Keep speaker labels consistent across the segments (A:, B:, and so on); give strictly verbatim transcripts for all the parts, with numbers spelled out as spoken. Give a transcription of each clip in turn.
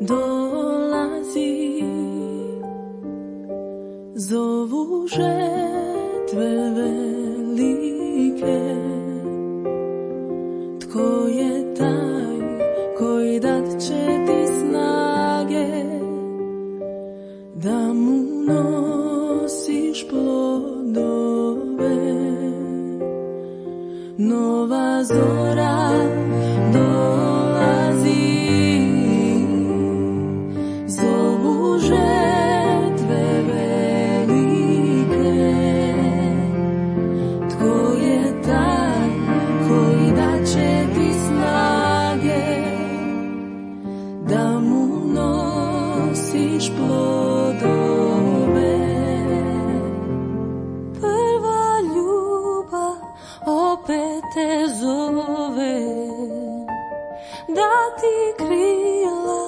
A: dolazi, zovu žetve velike. Tko je taj koji dat će ti snage da mu nosiš plodove? Nova zora dolazi, zovu žetve velike. Tko je taj koji daće ti snage da mu nosiš plodove? Prva ljubav opet te zove, da ti krila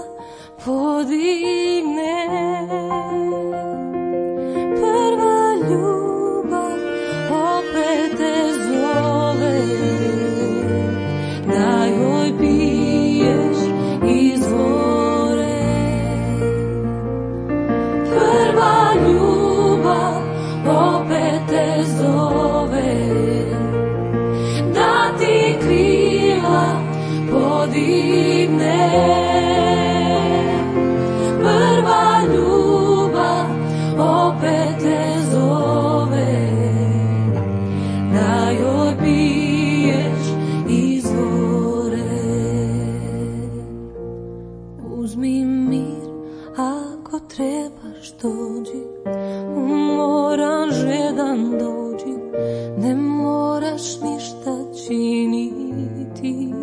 A: podigne. Prva ljubav opet te zove, da joj piješ iz vore. Prva ljubav opet te zove, da ti krila podigne. Prva ljubav opet te zove, da joj piješ iz vore. Uzmi mir, ako trebaš dođi, umoran žedan dođi, ne moraš ništa činiti.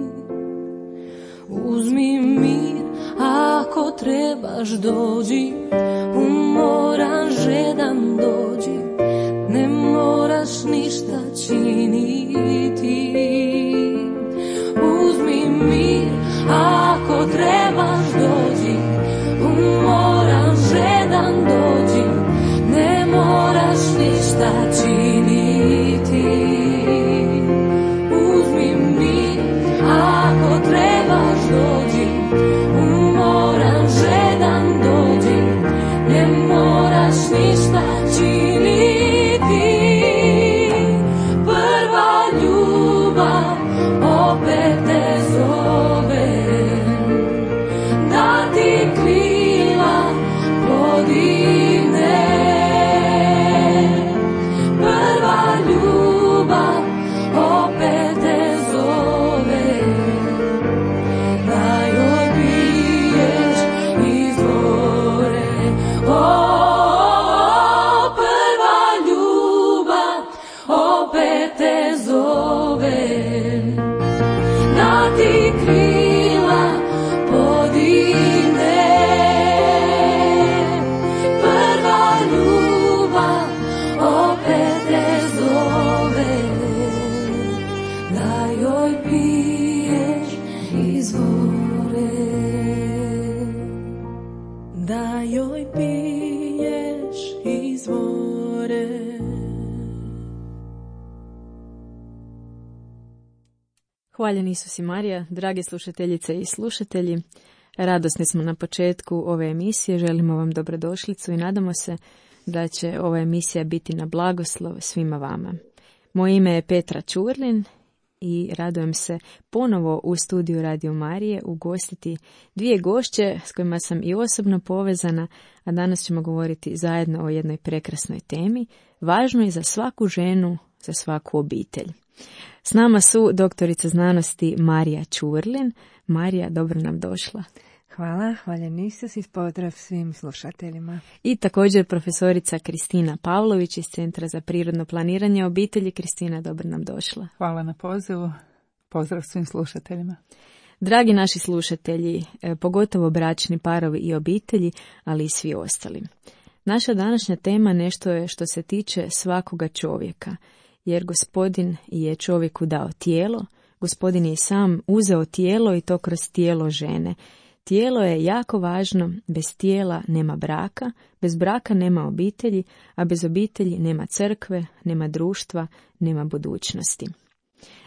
A: Uzmi mir, ako trebaš dođi, umoran žedan dođi, ne moraš ništa činiti. Uzmi mir, ako trebaš dođi, umoran žedan dođi, ne moraš ništa činiti. Uzmi mir, ako trebaš dođi, umoran žedan dođi, ne moraš ništa činiti. Prva ljubav opet te zove, da ti krila podigne. Prva ljubav opet te zove, da joj piješ iz vore. O, prva ljubav opet te zove, da ti krila podigne. Prva ljubav opet te zove, da joj piješ iz vore. Da joj piješ iz vore.
B: Hvaljen Isus i Marija, drage slušateljice i slušatelji. Radosni smo na početku ove emisije, želimo vam dobrodošlicu i nadamo se da će ova emisija biti na blagoslov svima vama. Moje ime je Petra Čurlin i radujem se ponovo u studiju Radio Marije ugostiti dvije gošće s kojima sam i osobno povezana, a danas ćemo govoriti zajedno o jednoj prekrasnoj temi, važnoj za svaku ženu, za svaku obitelj. S nama su doktorica znanosti Marija Čurlin. Marija, dobro nam došla.
C: Hvala, hvaljen Isus i pozdrav svim slušateljima.
B: I također profesorica Kristina Pavlović iz Centra za prirodno planiranje obitelji. Kristina, dobro nam došla.
D: Hvala na pozivu, pozdrav svim slušateljima.
B: Dragi naši slušatelji, pogotovo bračni parovi i obitelji, ali i svi ostali. Naša današnja tema nešto je što se tiče svakoga čovjeka, jer Gospodin je čovjeku dao tijelo, Gospodin je sam uzeo tijelo i to kroz tijelo žene. Tijelo je jako važno, bez tijela nema braka, bez braka nema obitelji, a bez obitelji nema crkve, nema društva, nema budućnosti.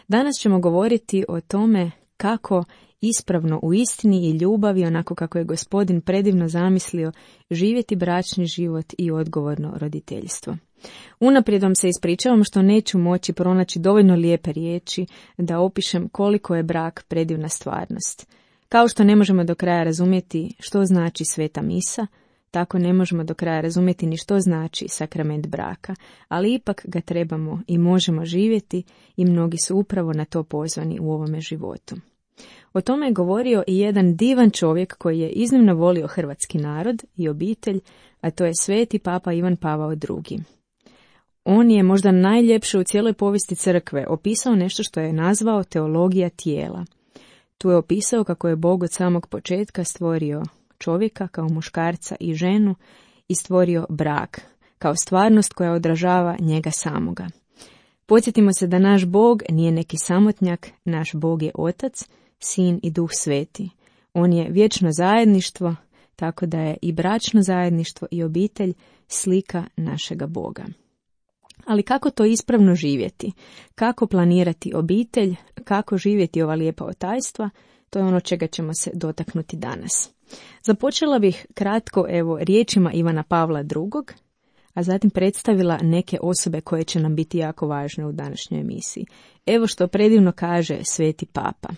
B: Danas ćemo govoriti o tome kako ispravno u istini i ljubavi, onako kako je Gospodin predivno zamislio, živjeti bračni život i odgovorno roditeljstvo. Unaprijed vam se ispričavam što neću moći pronaći dovoljno lijepe riječi da opišem koliko je brak predivna stvarnost. Kao što ne možemo do kraja razumjeti što znači sveta misa, tako ne možemo do kraja razumjeti ni što znači sakrament braka, ali ipak ga trebamo i možemo živjeti i mnogi su upravo na to pozvani u ovome životu. O tome je govorio i jedan divan čovjek koji je iznimno volio hrvatski narod i obitelj, a to je sveti papa Ivan Pavao drugi. On je možda najljepše u cijeloj povijesti crkve opisao nešto što je nazvao teologija tijela. Tu je opisao kako je Bog od samog početka stvorio čovjeka kao muškarca i ženu i stvorio brak kao stvarnost koja odražava njega samoga. Podsjetimo se da naš Bog nije neki samotnjak, naš Bog je Otac, Sin i Duh Sveti. On je vječno zajedništvo, tako da je i bračno zajedništvo i obitelj slika našega Boga. Ali kako to ispravno živjeti? Kako planirati obitelj? Kako živjeti ova lijepa otajstva? To je ono čega ćemo se dotaknuti danas. Započela bih kratko evo riječima Ivana Pavla drugog, a zatim predstavila neke osobe koje će nam biti jako važne u današnjoj emisiji. Evo što predivno kaže sveti papa.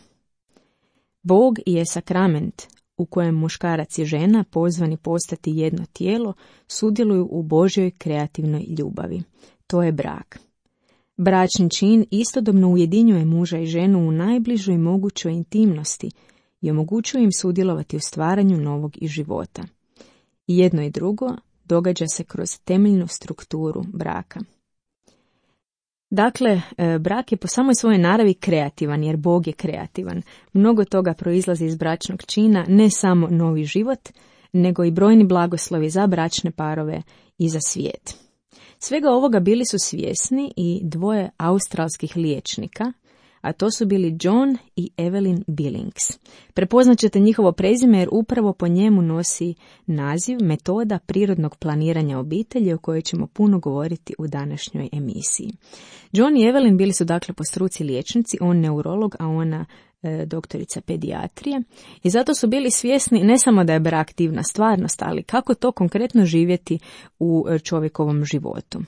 B: Bog je sakrament u kojem muškarac i žena, pozvani postati jedno tijelo, sudjeluju u Božjoj kreativnoj ljubavi. To je brak. Bračni čin istodobno ujedinjuje muža i ženu u najbližoj mogućoj intimnosti i omogućuje im sudjelovati u stvaranju novog i života. I jedno i drugo događa se kroz temeljnu strukturu braka. Dakle, brak je po samoj svojoj naravi kreativan, jer Bog je kreativan. Mnogo toga proizlazi iz bračnog čina, ne samo novi život, nego i brojni blagoslovi za bračne parove i za svijet. Svega ovoga bili su svjesni i dvoje australskih liječnika, a to su bili John i Evelyn Billings. Prepoznat ćete njihovo prezime jer upravo po njemu nosi naziv metoda prirodnog planiranja obitelji o kojoj ćemo puno govoriti u današnjoj emisiji. John i Evelyn bili su dakle po struci liječnici, on neurolog, a ona e, doktorica pedijatrije, i zato su bili svjesni ne samo da je brak divna stvarnost, ali kako to konkretno živjeti u čovjekovom životu.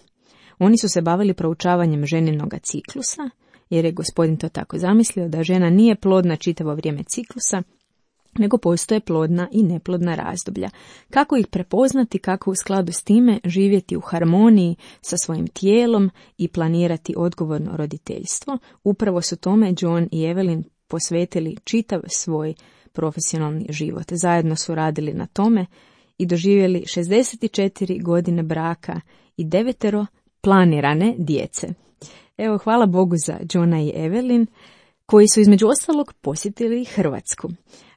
B: Oni su se bavili proučavanjem ženinoga ciklusa, jer je Gospodin to tako zamislio da žena nije plodna čitavo vrijeme ciklusa, nego postoje plodna i neplodna razdoblja. Kako ih prepoznati, kako u skladu s time živjeti u harmoniji sa svojim tijelom i planirati odgovorno roditeljstvo, upravo su tome John i Evelyn posvetili čitav svoj profesionalni život. Zajedno su radili na tome i doživjeli šezdeset četiri godine braka i devetero planirane djece. Evo, hvala Bogu za Johna i Evelyn, koji su između ostalog posjetili Hrvatsku.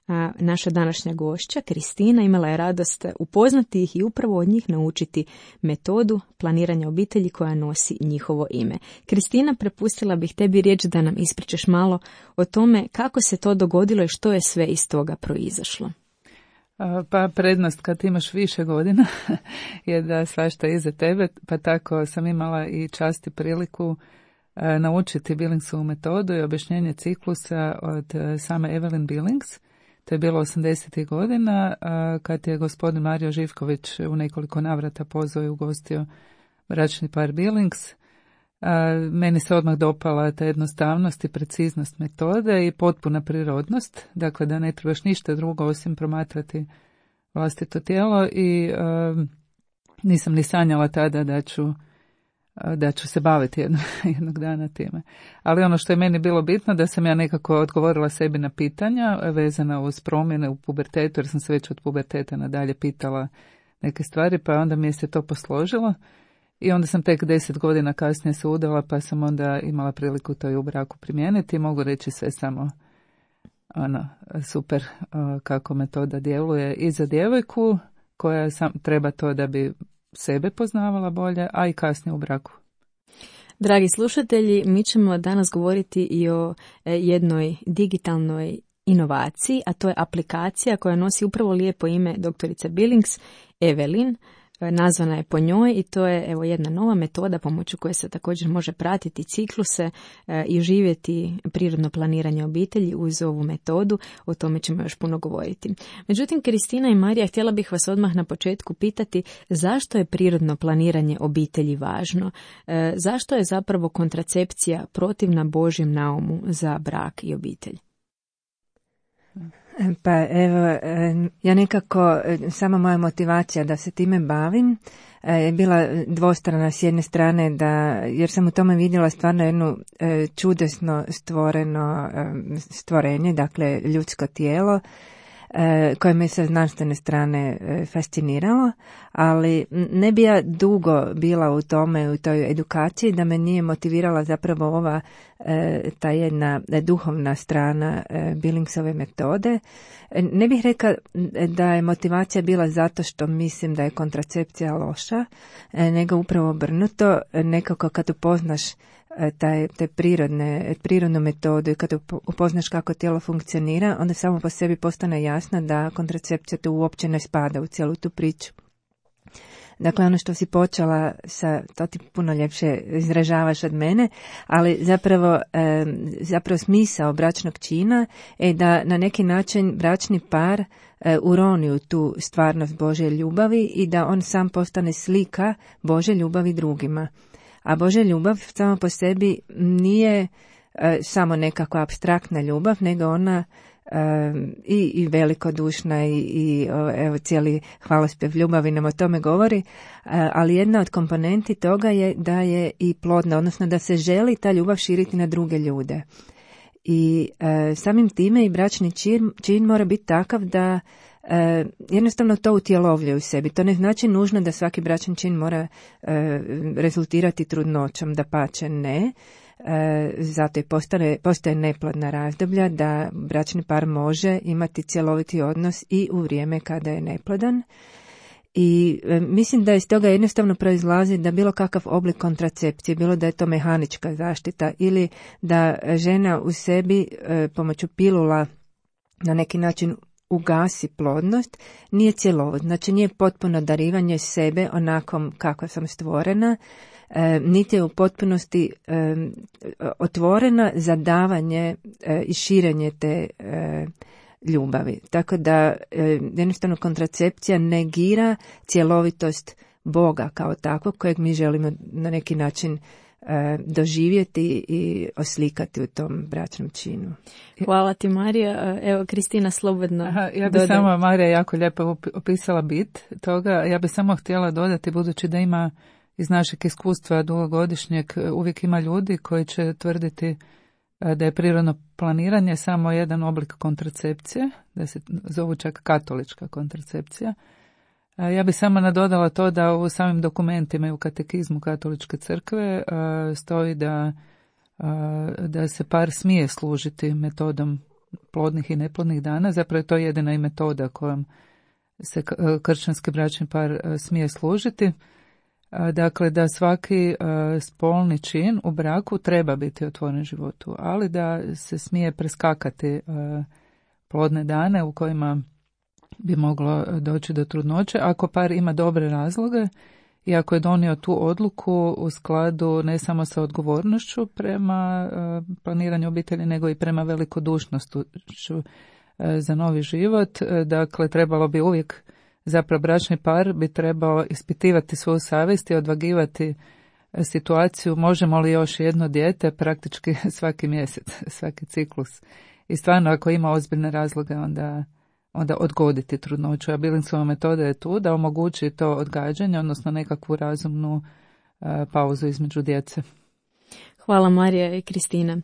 B: A naša današnja gošća, Kristina, imala je radost upoznati ih i upravo od njih naučiti metodu planiranja obitelji koja nosi njihovo ime. Kristina, prepustila bih tebi riječ da nam ispričaš malo o tome kako se to dogodilo i što je sve iz toga proizašlo.
D: Pa prednost kad imaš više godina je da svašta iza tebe, pa tako sam imala i čast i priliku naučiti Billingsovu metodu i objašnjenje ciklusa od same Evelyn Billings. To je bilo osamdesetih godina kad je gospodin Mario Živković u nekoliko navrata pozvao i ugostio bračni par Billings. Meni se odmah dopala ta jednostavnost i preciznost metode i potpuna prirodnost, dakle da ne trebaš ništa drugo osim promatrati vlastito tijelo i uh, nisam ni sanjala tada da ću, uh, da ću se baviti jedno, jednog dana time. Ali ono što je meni bilo bitno da sam ja nekako odgovorila sebi na pitanja vezana uz promjene u pubertetu, jer sam se već od puberteta nadalje pitala neke stvari, pa onda mi je se to posložilo. I onda sam tek deset godina kasnije se udala, pa sam onda imala priliku to i u braku primijeniti. Mogu reći sve samo ono, super kako metoda djeluje i za djevojku koja sam, treba to da bi sebe poznavala bolje, a i kasnije u braku.
B: Dragi slušatelji, mi ćemo danas govoriti i o jednoj digitalnoj inovaciji, a to je aplikacija koja nosi upravo lijepo ime doktorice Billings, Evelyn. nazvana je po njoj i to je evo jedna nova metoda pomoću koje se također može pratiti cikluse i živjeti prirodno planiranje obitelji uz ovu metodu. O tome ćemo još puno govoriti. Međutim, Kristina i Marija, htjela bih vas odmah na početku pitati zašto je prirodno planiranje obitelji važno? Zašto je zapravo kontracepcija protivna Božjem naumu za brak i obitelj?
C: Pa evo, ja nekako, sama moja motivacija da se time bavim je bila dvostrana. S jedne strane, da, jer sam u tome vidjela stvarno jednu čudesno stvoreno stvorenje, dakle ljudsko tijelo, koje me sa znanstvene strane fasciniralo, ali ne bi ja dugo bila u tome, u toj edukaciji, da me nije motivirala zapravo ova ta jedna duhovna strana Billingsove metode. Ne bih rekla da je motivacija bila zato što mislim da je kontracepcija loša, nego upravo obrnuto. Nekako kad upoznaš taj, te prirodne, prirodnu metodu i kad upoznaš kako tijelo funkcionira, onda samo po sebi postane jasno da kontracepcija tu uopće ne spada u cijelu tu priču. Dakle, ono što si počela sa, to ti puno ljepše izražavaš od mene, ali zapravo, e, zapravo smisao bračnog čina je da na neki način bračni par e, uroni u tu stvarnost Božje ljubavi i da on sam postane slika Božje ljubavi drugima. A Božja ljubav samo po sebi nije e, samo nekakva apstraktna ljubav, nego ona e, i, i velikodušna i, i evo, cijeli hvalospjev ljubavi nam o tome govori, e, ali jedna od komponenti toga je da je i plodna, odnosno da se želi ta ljubav širiti na druge ljude. I e, samim time i bračni čin, čin mora biti takav da E, jednostavno to utjelovljuje u sebi. To ne znači nužno da svaki bračni čin mora e, rezultirati trudnoćom, dapače ne. E, zato i postaje, postoje neplodna razdoblja da bračni par može imati cjeloviti odnos i u vrijeme kada je neplodan. I e, mislim da iz toga jednostavno proizlazi da bilo kakav oblik kontracepcije, bilo da je to mehanička zaštita ili da žena u sebi e, pomoću pilula na neki način ugasi plodnost, nije cjelovit. Znači nije potpuno darivanje sebe onakom kako sam stvorena, e, niti je u potpunosti e, otvorena za davanje e, i širenje te e, ljubavi. Tako da e, jednostavno kontracepcija negira cjelovitost Boga kao takvog kojeg mi želimo na neki način doživjeti i oslikati u tom bračnom činu.
B: Hvala ti, Marija. Evo, Kristina, slobodno.
D: Aha, ja bi samo, Marija jako lijepo opisala bit toga. Ja bi samo htjela dodati, budući da ima iz našeg iskustva dugogodišnjeg, uvijek ima ljudi koji će tvrditi da je prirodno planiranje samo jedan oblik kontracepcije, da se zovu čak katolička kontracepcija. Ja bih samo nadodala to da u samim dokumentima i u katekizmu katoličke crkve stoji da, da se par smije služiti metodom plodnih i neplodnih dana. Zapravo je to jedina i metoda kojom se kršćanski bračni par smije služiti. Dakle, da svaki spolni čin u braku treba biti otvoren životu, ali da se smije preskakati plodne dane u kojima bi moglo doći do trudnoće, ako par ima dobre razloge i ako je donio tu odluku u skladu ne samo sa odgovornošću prema uh, planiranju obitelji, nego i prema velikodušnošću uh, za novi život. Uh, dakle, trebalo bi uvijek, zapravo bračni par bi trebao ispitivati svoju savjest i odvagivati situaciju, možemo li još jedno dijete, praktički svaki mjesec, svaki ciklus. I stvarno, ako ima ozbiljne razloge, onda onda odgoditi trudnoću. A Billingsova metoda je tu da omogući to odgađanje, odnosno nekakvu razumnu uh, pauzu između djece.
B: Hvala, Marija i Kristina.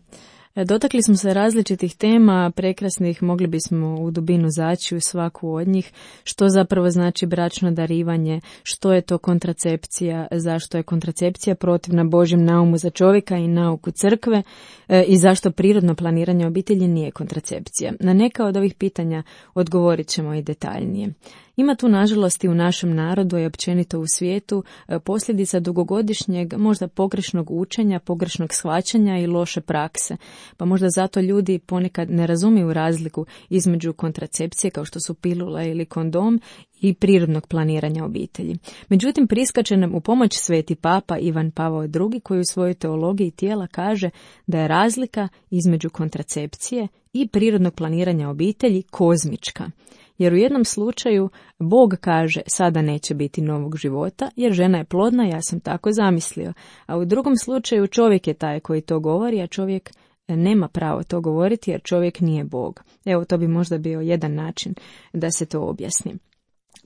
B: Dotakli smo se različitih tema, prekrasnih, mogli bismo u dubinu zaći u svaku od njih, što zapravo znači bračno darivanje, što je to kontracepcija, zašto je kontracepcija protivna Božjem naumu za čovjeka i nauku crkve e, i zašto prirodno planiranje obitelji nije kontracepcija. Na neka od ovih pitanja odgovorit ćemo i detaljnije. Ima tu, nažalost, i u našem narodu i općenito u svijetu posljedica dugogodišnjeg, možda pogrešnog učenja, pogrešnog shvaćanja i loše prakse. pa možda zato ljudi ponekad ne razumiju razliku između kontracepcije kao što su pilula ili kondom i prirodnog planiranja obitelji. Međutim, priskače nam u pomoć sveti papa Ivan Pavao drugi koji u svojoj teologiji tijela kaže da je razlika između kontracepcije i prirodnog planiranja obitelji kozmička. Jer u jednom slučaju Bog kaže sada neće biti novog života jer žena je plodna, ja sam tako zamislio. A u drugom slučaju čovjek je taj koji to govori, a čovjek nema pravo to govoriti jer čovjek nije Bog. Evo, to bi možda bio jedan način da se to objasni.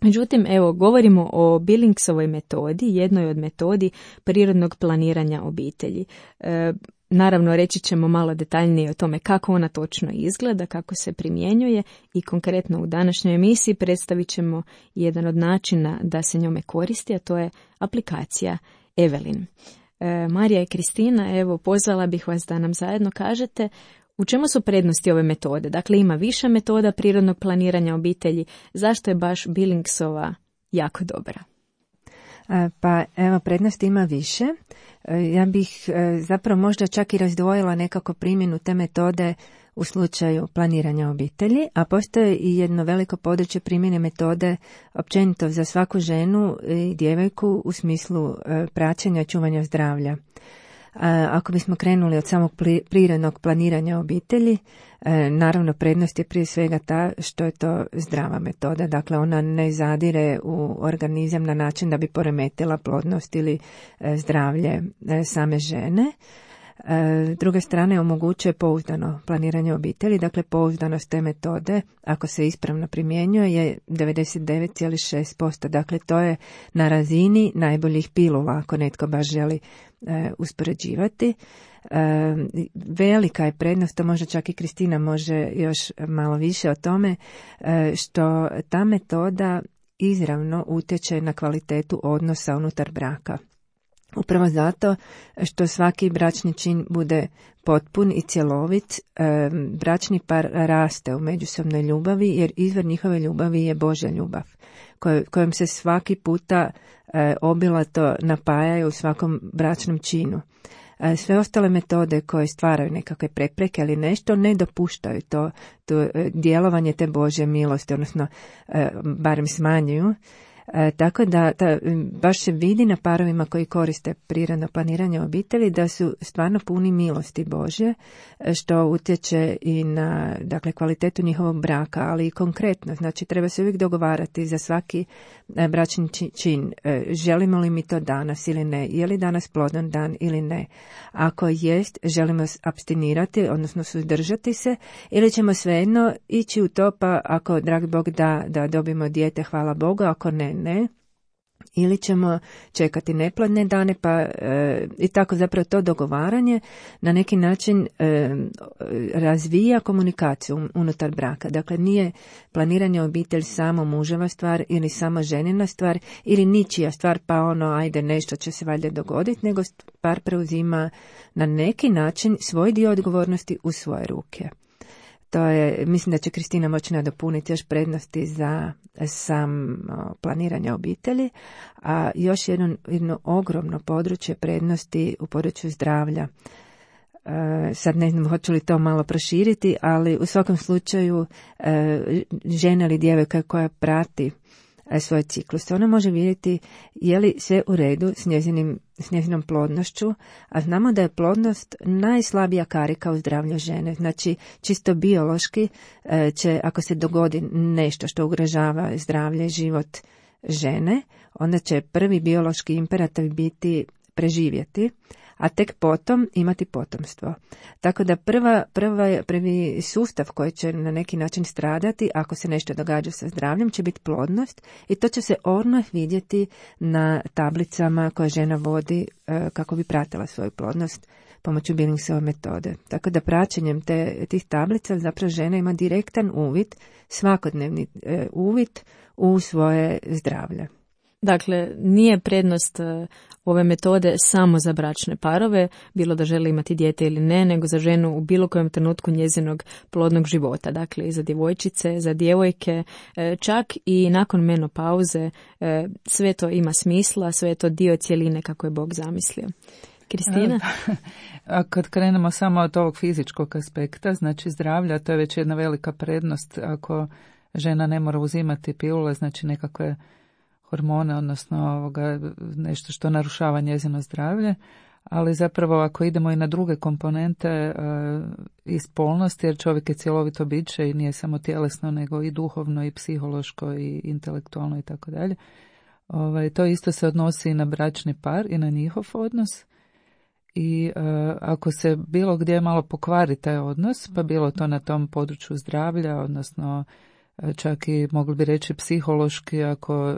B: Međutim, evo, govorimo o Billingsovoj metodi, jednoj od metodi prirodnog planiranja obitelji. E, naravno, reći ćemo malo detaljnije o tome kako ona točno izgleda, kako se primjenjuje i konkretno u današnjoj emisiji predstavit ćemo jedan od načina da se njome koristi, a to je aplikacija Evelyn. E, Marija i Kristina, evo, pozvala bih vas da nam zajedno kažete u čemu su prednosti ove metode? Dakle, ima više metoda prirodnog planiranja obitelji. Zašto je baš Billingsova jako dobra?
C: Pa evo, prednosti ima više. Ja bih zapravo možda čak i razdvojila nekako primjenu te metode u slučaju planiranja obitelji, a postoje i jedno veliko područje primjene metode općenito za svaku ženu i djevojku u smislu praćenja i čuvanja zdravlja. Ako bismo krenuli od samog prirodnog planiranja obitelji, naravno prednost je prije svega ta što je to zdrava metoda, dakle ona ne zadire u organizam na način da bi poremetila plodnost ili zdravlje same žene. S druge strane omogućuje pouzdano planiranje obitelji, dakle pouzdanost te metode ako se ispravno primjenjuje je devedeset devet zarez šest posto, dakle to je na razini najboljih pilula ako netko baš želi e, uspoređivati. E, velika je prednost, to možda čak i Kristina može još malo više o tome, e, što ta metoda izravno utječe na kvalitetu odnosa unutar braka. Upravo zato što svaki bračni čin bude potpun i cjelovit, bračni par raste u međusobnoj ljubavi jer izvor njihove ljubavi je Božja ljubav kojom se svaki puta obilato napajaju u svakom bračnom činu. Sve ostale metode koje stvaraju nekakve prepreke ili nešto ne dopuštaju to, to djelovanje te Božje milosti, odnosno barem smanjuju. E, tako da ta, baš se vidi na parovima koji koriste prirodno planiranje obitelji da su stvarno puni milosti Božje, što utječe i na dakle, kvalitetu njihovog braka, ali i konkretno. Znači treba se uvijek dogovarati za svaki e, bračni čin. E, želimo li mi to danas ili ne? Je li danas plodan dan ili ne? Ako jest, želimo apstinirati, odnosno suzdržati se, ili ćemo svejedno ići u to, pa ako dragi Bog da, da dobijemo dijete, hvala Bogu, ako ne, ne, ili ćemo čekati neplodne dane, pa e, i tako zapravo to dogovaranje na neki način e, razvija komunikaciju unutar braka. Dakle, nije planiranje obitelj samo muževa stvar ili samo ženina stvar ili ničija stvar, pa ono, ajde, nešto će se valjda dogoditi, nego par preuzima na neki način svoj dio odgovornosti u svoje ruke. To je, mislim da će Kristina moći nadopuniti još prednosti za sam planiranje obitelji, a još jedno, jedno ogromno područje prednosti u području zdravlja. E, sad ne znam hoću li to malo proširiti, ali u svakom slučaju e, žena ili djevojka koja prati svoj ciklus, ona može vidjeti je li sve u redu s njezinim s njezinom plodnošću, a znamo da je plodnost najslabija karika u zdravlju žene. Znači, čisto biološki će, ako se dogodi nešto što ugrožava zdravlje i život žene, onda će prvi biološki imperativ biti preživjeti, a tek potom imati potomstvo. Tako da prva, prva, prvi sustav koji će na neki način stradati ako se nešto događa sa zdravljem će biti plodnost i to će se odmah vidjeti na tablicama koje žena vodi e, kako bi pratila svoju plodnost pomoću Billingsove metode. Tako da praćenjem te, tih tablica zapravo žena ima direktan uvid, svakodnevni e, uvid u svoje zdravlje.
B: Dakle, nije prednost ove metode samo za bračne parove, bilo da žele imati dijete ili ne, nego za ženu u bilo kojem trenutku njezinog plodnog života. Dakle, i za djevojčice, za djevojke, čak i nakon menopauze, sve to ima smisla, sve je to dio cjeline kako je Bog zamislio. Kristina?
D: A kad krenemo samo od ovog fizičkog aspekta, znači zdravlja, to je već jedna velika prednost ako žena ne mora uzimati pilule, znači nekakve hormone, odnosno ovoga, nešto što narušava njezino zdravlje, ali zapravo ako idemo i na druge komponente e, i spolnosti, jer čovjek je cjelovito biće i nije samo tjelesno, nego i duhovno i psihološko i intelektualno i tako dalje. Ovaj, to isto se odnosi i na bračni par i na njihov odnos. I e, ako se bilo gdje malo pokvari taj odnos, pa bilo to na tom području zdravlja, odnosno e, čak i mogli bi reći psihološki, ako,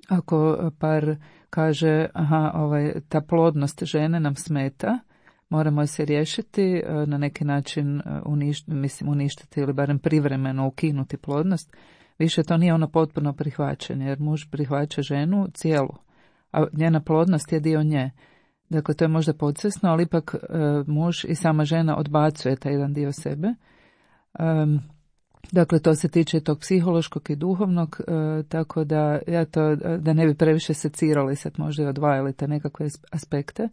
D: ako par kaže aha, ovaj, ta plodnost žene nam smeta, moramo se riješiti, e, na neki način uništiti, mislim uništiti ili barem privremeno ukinuti plodnost, više to nije ono potpuno prihvaćanje, jer muž prihvaća ženu cijelu, a njena plodnost je dio nje. Dakle, to je možda podsvjesno, ali ipak e, muž i sama žena odbacuje taj jedan dio sebe. E, dakle, to se tiče tog psihološkog i duhovnog, e, tako da ja to, da ne bi previše secirali sad možda i odvajali te nekakve aspekte.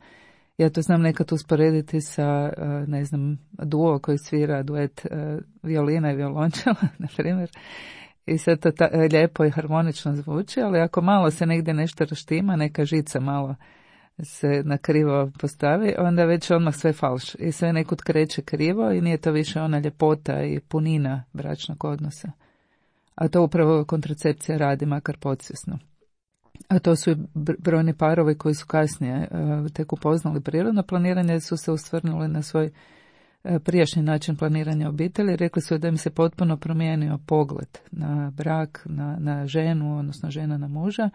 D: Ja to znam nekad usporediti sa, e, ne znam, duo koji svira duet e, violina i violončela, na primjer. I sad to ta, lijepo i harmonično zvuči, ali ako malo se negdje nešto raštima, neka žica malo se na krivo postavi, onda već odmah sve falš i sve nekud kreće krivo i nije to više ona ljepota i punina bračnog odnosa. A to upravo kontracepcija radi, makar podsvjesno. A to su i brojni parovi koji su kasnije uh, tek upoznali prirodno planiranje, su se usvrnuli na svoj uh, prijašnji način planiranja obitelji. Rekli su da im se potpuno promijenio pogled na brak, na, na ženu, odnosno žena na muža.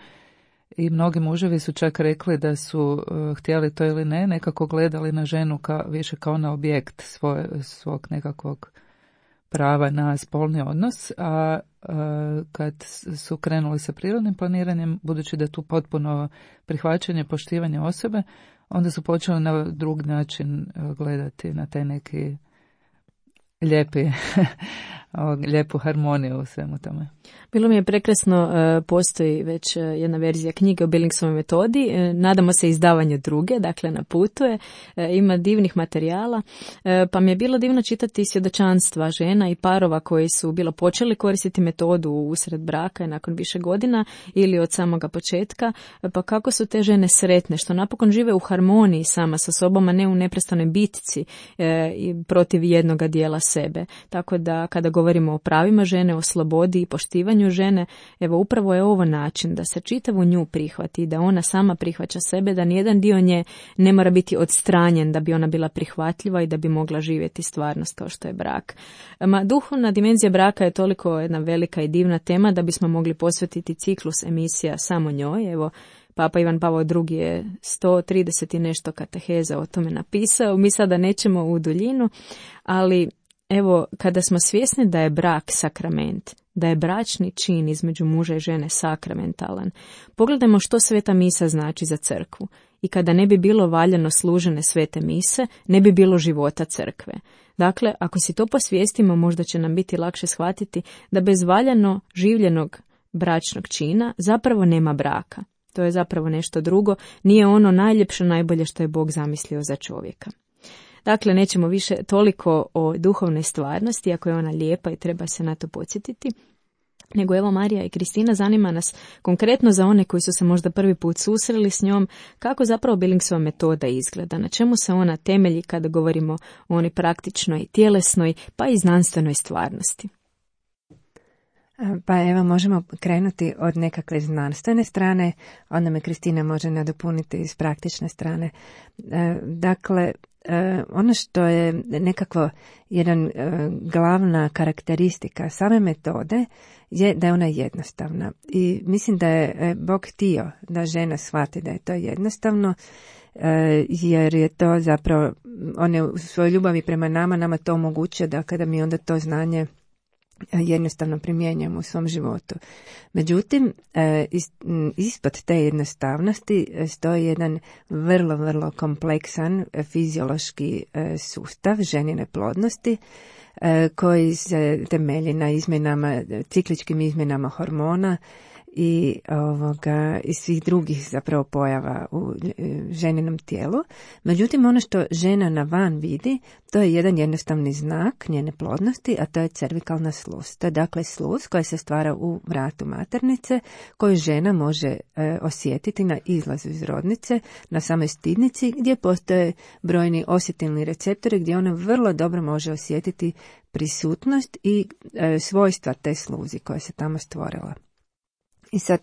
D: I mnogi muževi su čak rekli da su uh, htjeli to ili ne, nekako gledali na ženu ka, više kao na objekt svoje, svog nekakvog prava na spolni odnos, a uh, kad su krenuli sa prirodnim planiranjem, budući da je tu potpuno prihvaćanje, poštivanje osobe, onda su počeli na drug način uh, gledati na taj neki lijepi, lijepu harmoniju u svemu tome.
B: Bilo mi je prekrasno, postoji već jedna verzija knjige o Billingsovoj metodi, nadamo se izdavanju druge, dakle na putu je, ima divnih materijala, pa mi je bilo divno čitati svjedočanstva žena i parova koji su bilo počeli koristiti metodu usred braka i nakon više godina ili od samoga početka, pa kako su te žene sretne, što napokon žive u harmoniji sama sa sobom, a ne u neprestanoj bitci protiv jednoga dijela sebe. Tako da kada govorimo o pravima žene, o slobodi i poštivanju žene, evo upravo je ovo način da se čitavu nju prihvati, da ona sama prihvaća sebe, da nijedan dio nje ne mora biti odstranjen da bi ona bila prihvatljiva i da bi mogla živjeti stvarnost kao što je brak. Ma, duhovna dimenzija braka je toliko jedna velika i divna tema da bismo mogli posvetiti ciklus emisija samo njoj. Evo, Papa Ivan Pavao drugi je sto trideset i nešto kateheza o tome napisao. Mi sada nećemo u duljinu, ali evo, kada smo svjesni da je brak sakrament, da je bračni čin između muža i žene sakramentalan, pogledajmo što sveta misa znači za crkvu. I kada ne bi bilo valjano služene svete mise, ne bi bilo života crkve. Dakle, ako si to posvijestimo, možda će nam biti lakše shvatiti da bez valjano življenog bračnog čina zapravo nema braka. To je zapravo nešto drugo, nije ono najljepše, najbolje što je Bog zamislio za čovjeka. Dakle, nećemo više toliko o duhovnoj stvarnosti, ako je ona lijepa i treba se na to podsjetiti, nego evo Marija i Kristina, zanima nas konkretno za one koji su se možda prvi put susreli s njom, kako zapravo Billingsova metoda izgleda, na čemu se ona temelji kada govorimo o onoj praktičnoj, tjelesnoj pa i znanstvenoj stvarnosti.
C: Pa evo, možemo krenuti od nekakve znanstvene strane, onda me Kristina može nadopuniti iz praktične strane. Dakle, ono što je nekako jedan glavna karakteristika same metode je da je ona jednostavna. I mislim da je Bog htio da žena shvati da je to jednostavno, jer je to zapravo, on je u svojoj ljubavi prema nama, nama to omogućuje da kada mi onda to znanje jednostavno primjenjujemo u svom životu. Međutim, ispod te jednostavnosti stoji jedan vrlo, vrlo kompleksan fiziološki sustav ženine plodnosti koji se temelji na izmjenama, cikličkim izmjenama hormona i ovoga i svih drugih zapravo pojava u ženinom tijelu. Međutim, ono što žena na van vidi, to je jedan jednostavni znak njene plodnosti, a to je cervikalna sluz. To je dakle sluz koja se stvara u vratu maternice, koju žena može e, osjetiti na izlazu iz rodnice, na samoj stidnici, gdje postoje brojni osjetilni receptori, gdje ona vrlo dobro može osjetiti prisutnost i e, svojstva te sluzi koja se tamo stvorila. I sad,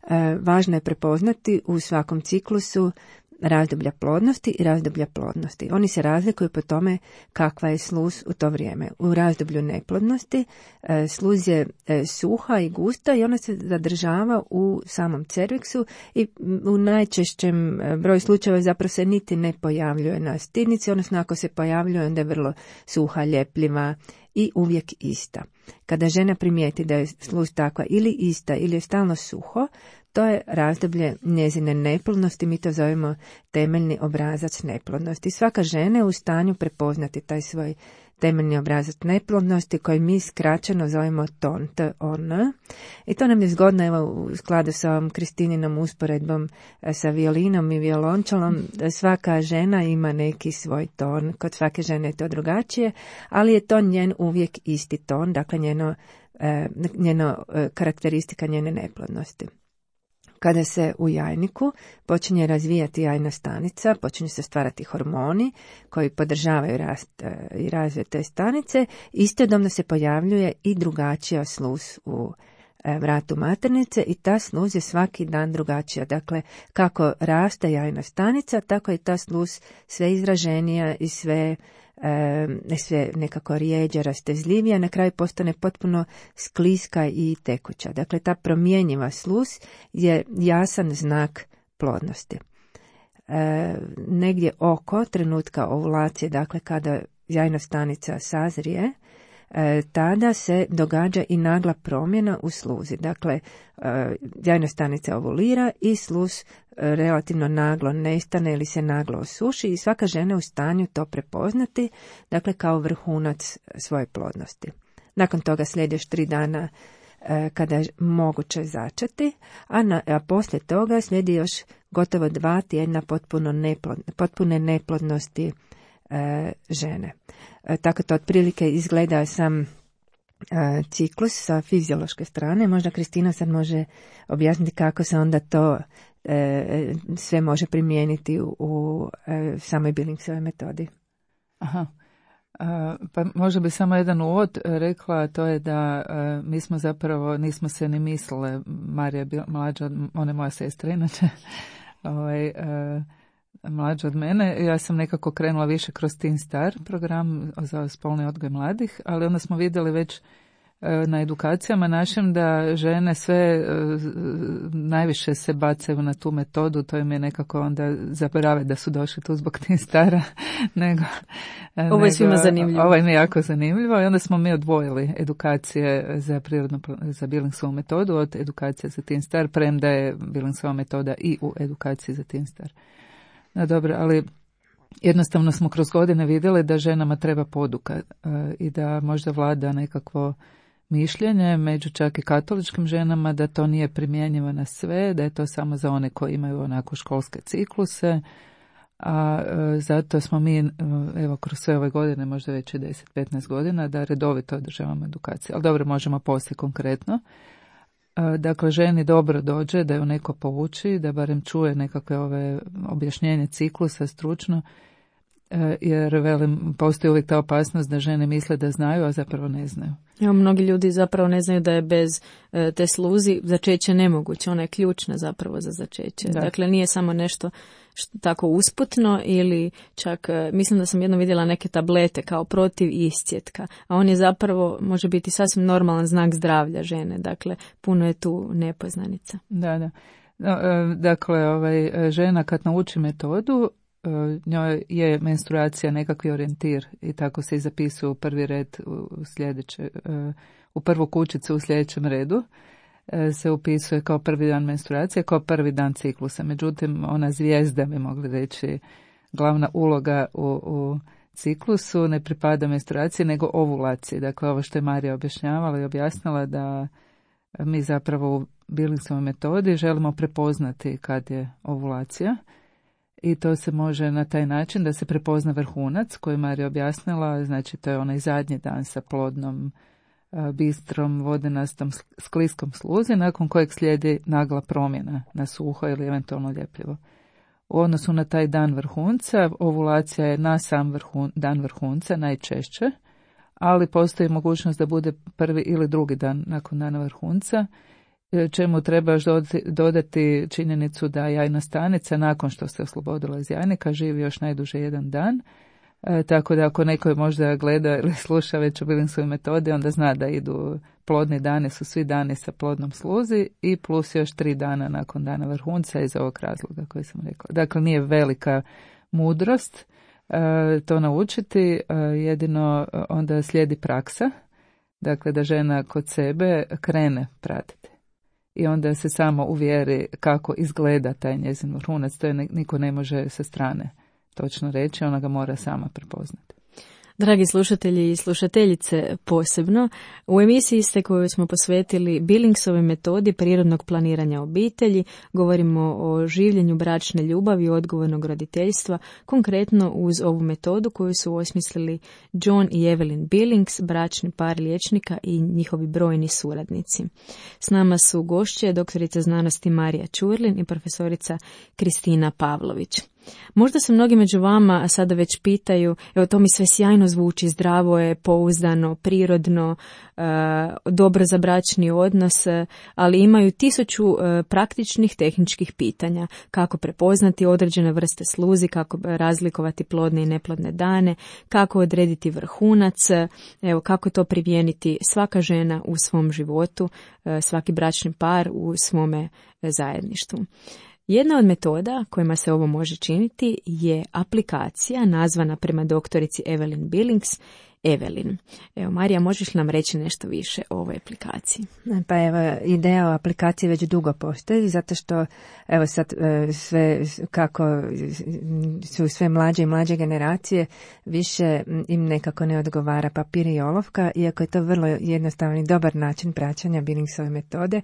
C: e, važno je prepoznati u svakom ciklusu razdoblja plodnosti i razdoblja plodnosti. Oni se razlikuju po tome kakva je sluz u to vrijeme. U razdoblju neplodnosti e, sluz je e, suha i gusta i ona se zadržava u samom cerviksu i u najčešćem broju slučajeva zapravo se niti ne pojavljuje na stidnici, odnosno ako se pojavljuje onda je vrlo suha, ljepljiva i uvijek ista. Kada žena primijeti da je sluz takva ili ista ili je stalno suho, to je razdoblje njezine neplodnosti, mi to zovemo temeljni obrazac neplodnosti. Svaka žena je u stanju prepoznati taj svoj temeljni obrazac neplodnosti koji mi skraćeno zovemo ton, T O N. I to nam je zgodno evo, u skladu sa ovom Kristininom usporedbom sa violinom i violončelom. Svaka žena ima neki svoj ton, kod svake žene je to drugačije, ali je to njen uvijek isti ton, dakle njeno, njeno karakteristika njene neplodnosti. Kada se u jajniku počinje razvijati jajna stanica, počinju se stvarati hormoni koji podržavaju rast i razvoj te stanice, istodobno se pojavljuje i drugačija sluz u vratu maternice i ta sluz je svaki dan drugačija. Dakle, kako raste jajna stanica, tako je ta sluz sve izraženija i sve E, sve nekako rijeđa, rastezljivija, na kraju postane potpuno skliska i tekuća. Dakle, ta promjenjiva sluz je jasan znak plodnosti. E, negdje oko trenutka ovulacije, dakle kada jajna stanica sazrije, e, tada se događa i nagla promjena u sluzi. Dakle, e, jajna stanica ovulira i sluz relativno naglo nestane ili se naglo osuši i svaka žena je u stanju to prepoznati, dakle kao vrhunac svoje plodnosti. Nakon toga slijedi još tri dana e, kada je moguće začeti, a, na, a poslije toga slijedi još gotovo dva tjedna potpuno neplod, potpune neplodnosti e, žene. E, tako to otprilike izgleda sam e, ciklus sa fiziološke strane. Možda Kristina sad može objasniti kako se onda to E, sve može primijeniti u, u e, samoj Billingsovoj metodi.
D: Aha. A, pa možda bi samo jedan uvod rekla, to je da a, mi smo zapravo, nismo se ni mislile, Marija je mlađa od, ona je moja sestra inače, ovaj, a, mlađa od mene, ja sam nekako krenula više kroz Teen Star program za spolni odgoj mladih, ali onda smo vidjeli već na edukacijama našim da žene sve najviše se bacaju na tu metodu, to im je nekako onda zaborave da su došli tu zbog Teen Stara. nego,
B: ovo je svima zanimljivo.
D: Ovo je jako zanimljivo i onda smo mi odvojili edukacije za prirodno, za Billingsovu metodu od edukacije za Teen Star, premda je Billingsova metoda i u edukaciji za Teen Star. No dobro, ali jednostavno smo kroz godine vidjeli da ženama treba poduka i da možda vlada nekakvo mišljenje među čak i katoličkim ženama da to nije primjenjivo na sve, da je to samo za one koji imaju onako školske cikluse, a e, zato smo mi evo kroz sve ove godine, možda već i deset do petnaest godina, da redovito održavamo edukaciju. Ali dobro, možemo poslije konkretno. E, dakle, ženi dobro dođe da ju neko pouči, da barem čuje nekakve ove objašnjenje ciklusa stručno, jer velim, postoji uvijek ta opasnost da žene misle da znaju, a zapravo ne znaju.
B: Evo, mnogi ljudi zapravo ne znaju da je bez e, te sluzi začeće nemoguće, ona je ključna zapravo za začeće. Da. Dakle, nije samo nešto što, tako usputno ili čak, e, mislim da sam jednom vidjela neke tablete kao protiv iscjetka, a on je zapravo, može biti sasvim normalan znak zdravlja žene, dakle, puno je tu nepoznanica.
D: Da, da. No, e, dakle, ovaj, žena kad nauči metodu, njoj je menstruacija nekakvi orijentir i tako se i zapisuje u prvi red u sljedeće, u prvu kućicu u sljedećem redu se upisuje kao prvi dan menstruacije, kao prvi dan ciklusa. Međutim, ona zvijezda, bi mogli reći, glavna uloga u, u ciklusu ne pripada menstruaciji nego ovulaciji. Dakle, ovo što je Marija objašnjavala i objasnila da mi zapravo Billingsovoj metodi želimo prepoznati kad je ovulacija. I to se može na taj način da se prepozna vrhunac koji Marija objasnila, znači to je onaj zadnji dan sa plodnom, bistrom, vodenastom, skliskom sluzi, nakon kojeg slijedi nagla promjena na suho ili eventualno ljepljivo. U odnosu na taj dan vrhunca, ovulacija je na sam vrhun, dan vrhunca najčešće, ali postoji mogućnost da bude prvi ili drugi dan nakon dana vrhunca, čemu treba još dodati činjenicu da jajna stanica nakon što se oslobodila iz jajnika živi još najduže jedan dan. E, tako da ako neko možda gleda ili sluša već o Billingsovoj metodi, onda zna da idu plodni dani, su svi dani sa plodnom sluzi i plus još tri dana nakon dana vrhunca iz ovog razloga koji sam rekla. Dakle, nije velika mudrost e, to naučiti, e, jedino onda slijedi praksa, dakle da žena kod sebe krene pratiti. I onda se samo uvjeri kako izgleda taj njezin vrhunac, to je niko ne može sa strane točno reći, ona ga mora sama prepoznati.
B: Dragi slušatelji i slušateljice posebno, u emisiji ste koju smo posvetili Billingsovoj metodi prirodnog planiranja obitelji, govorimo o življenju bračne ljubavi i odgovornog roditeljstva, konkretno uz ovu metodu koju su osmislili John i Evelyn Billings, bračni par liječnika i njihovi brojni suradnici. S nama su gošće doktorica znanosti Marija Ćurlin i profesorica Kristina Pavlović. Možda se mnogi među vama sada već pitaju, evo to mi sve sjajno zvuči, zdravo je, pouzdano, prirodno, e, dobro za bračni odnos, ali imaju tisuću e, praktičnih tehničkih pitanja. Kako prepoznati određene vrste sluzi, kako razlikovati plodne i neplodne dane, kako odrediti vrhunac, evo kako to primijeniti svaka žena u svom životu, e, svaki bračni par u svome zajedništvu. Jedna od metoda kojima se ovo može činiti je aplikacija nazvana prema doktorici Evelyn Billings, Evelyn. Evo, Marija, možeš nam reći nešto više o ovoj aplikaciji?
C: Pa evo, ideja o aplikaciji već dugo postoji, zato što evo sad sve, kako su sve mlađe i mlađe generacije, više im nekako ne odgovara papir i olovka, iako je to vrlo jednostavan i dobar način praćenja Billingsove metode.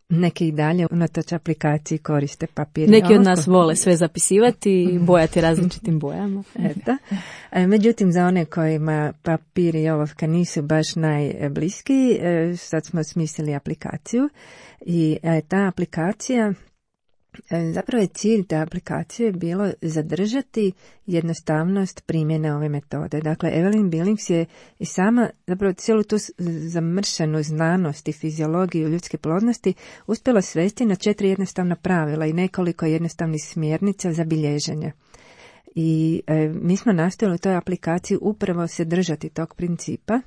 C: Neki i dalje unatoč aplikaciji koriste papir i olovku.
B: Neki od nas vole sve zapisivati i bojati različitim bojama.
C: Eto. Međutim, za one kojima papir i olovka nisu baš najbliskiji, sad smo smislili aplikaciju i ta aplikacija, zapravo je cilj te aplikacije bilo zadržati jednostavnost primjene ove metode. Dakle, Evelyn Billings je i sama zapravo cijelu tu zamršenu znanost i fiziologiju ljudske plodnosti uspjela svesti na četiri jednostavna pravila i nekoliko jednostavnih smjernica za bilježenje. I e, mi smo nastojali u toj aplikaciji upravo se držati tog principa.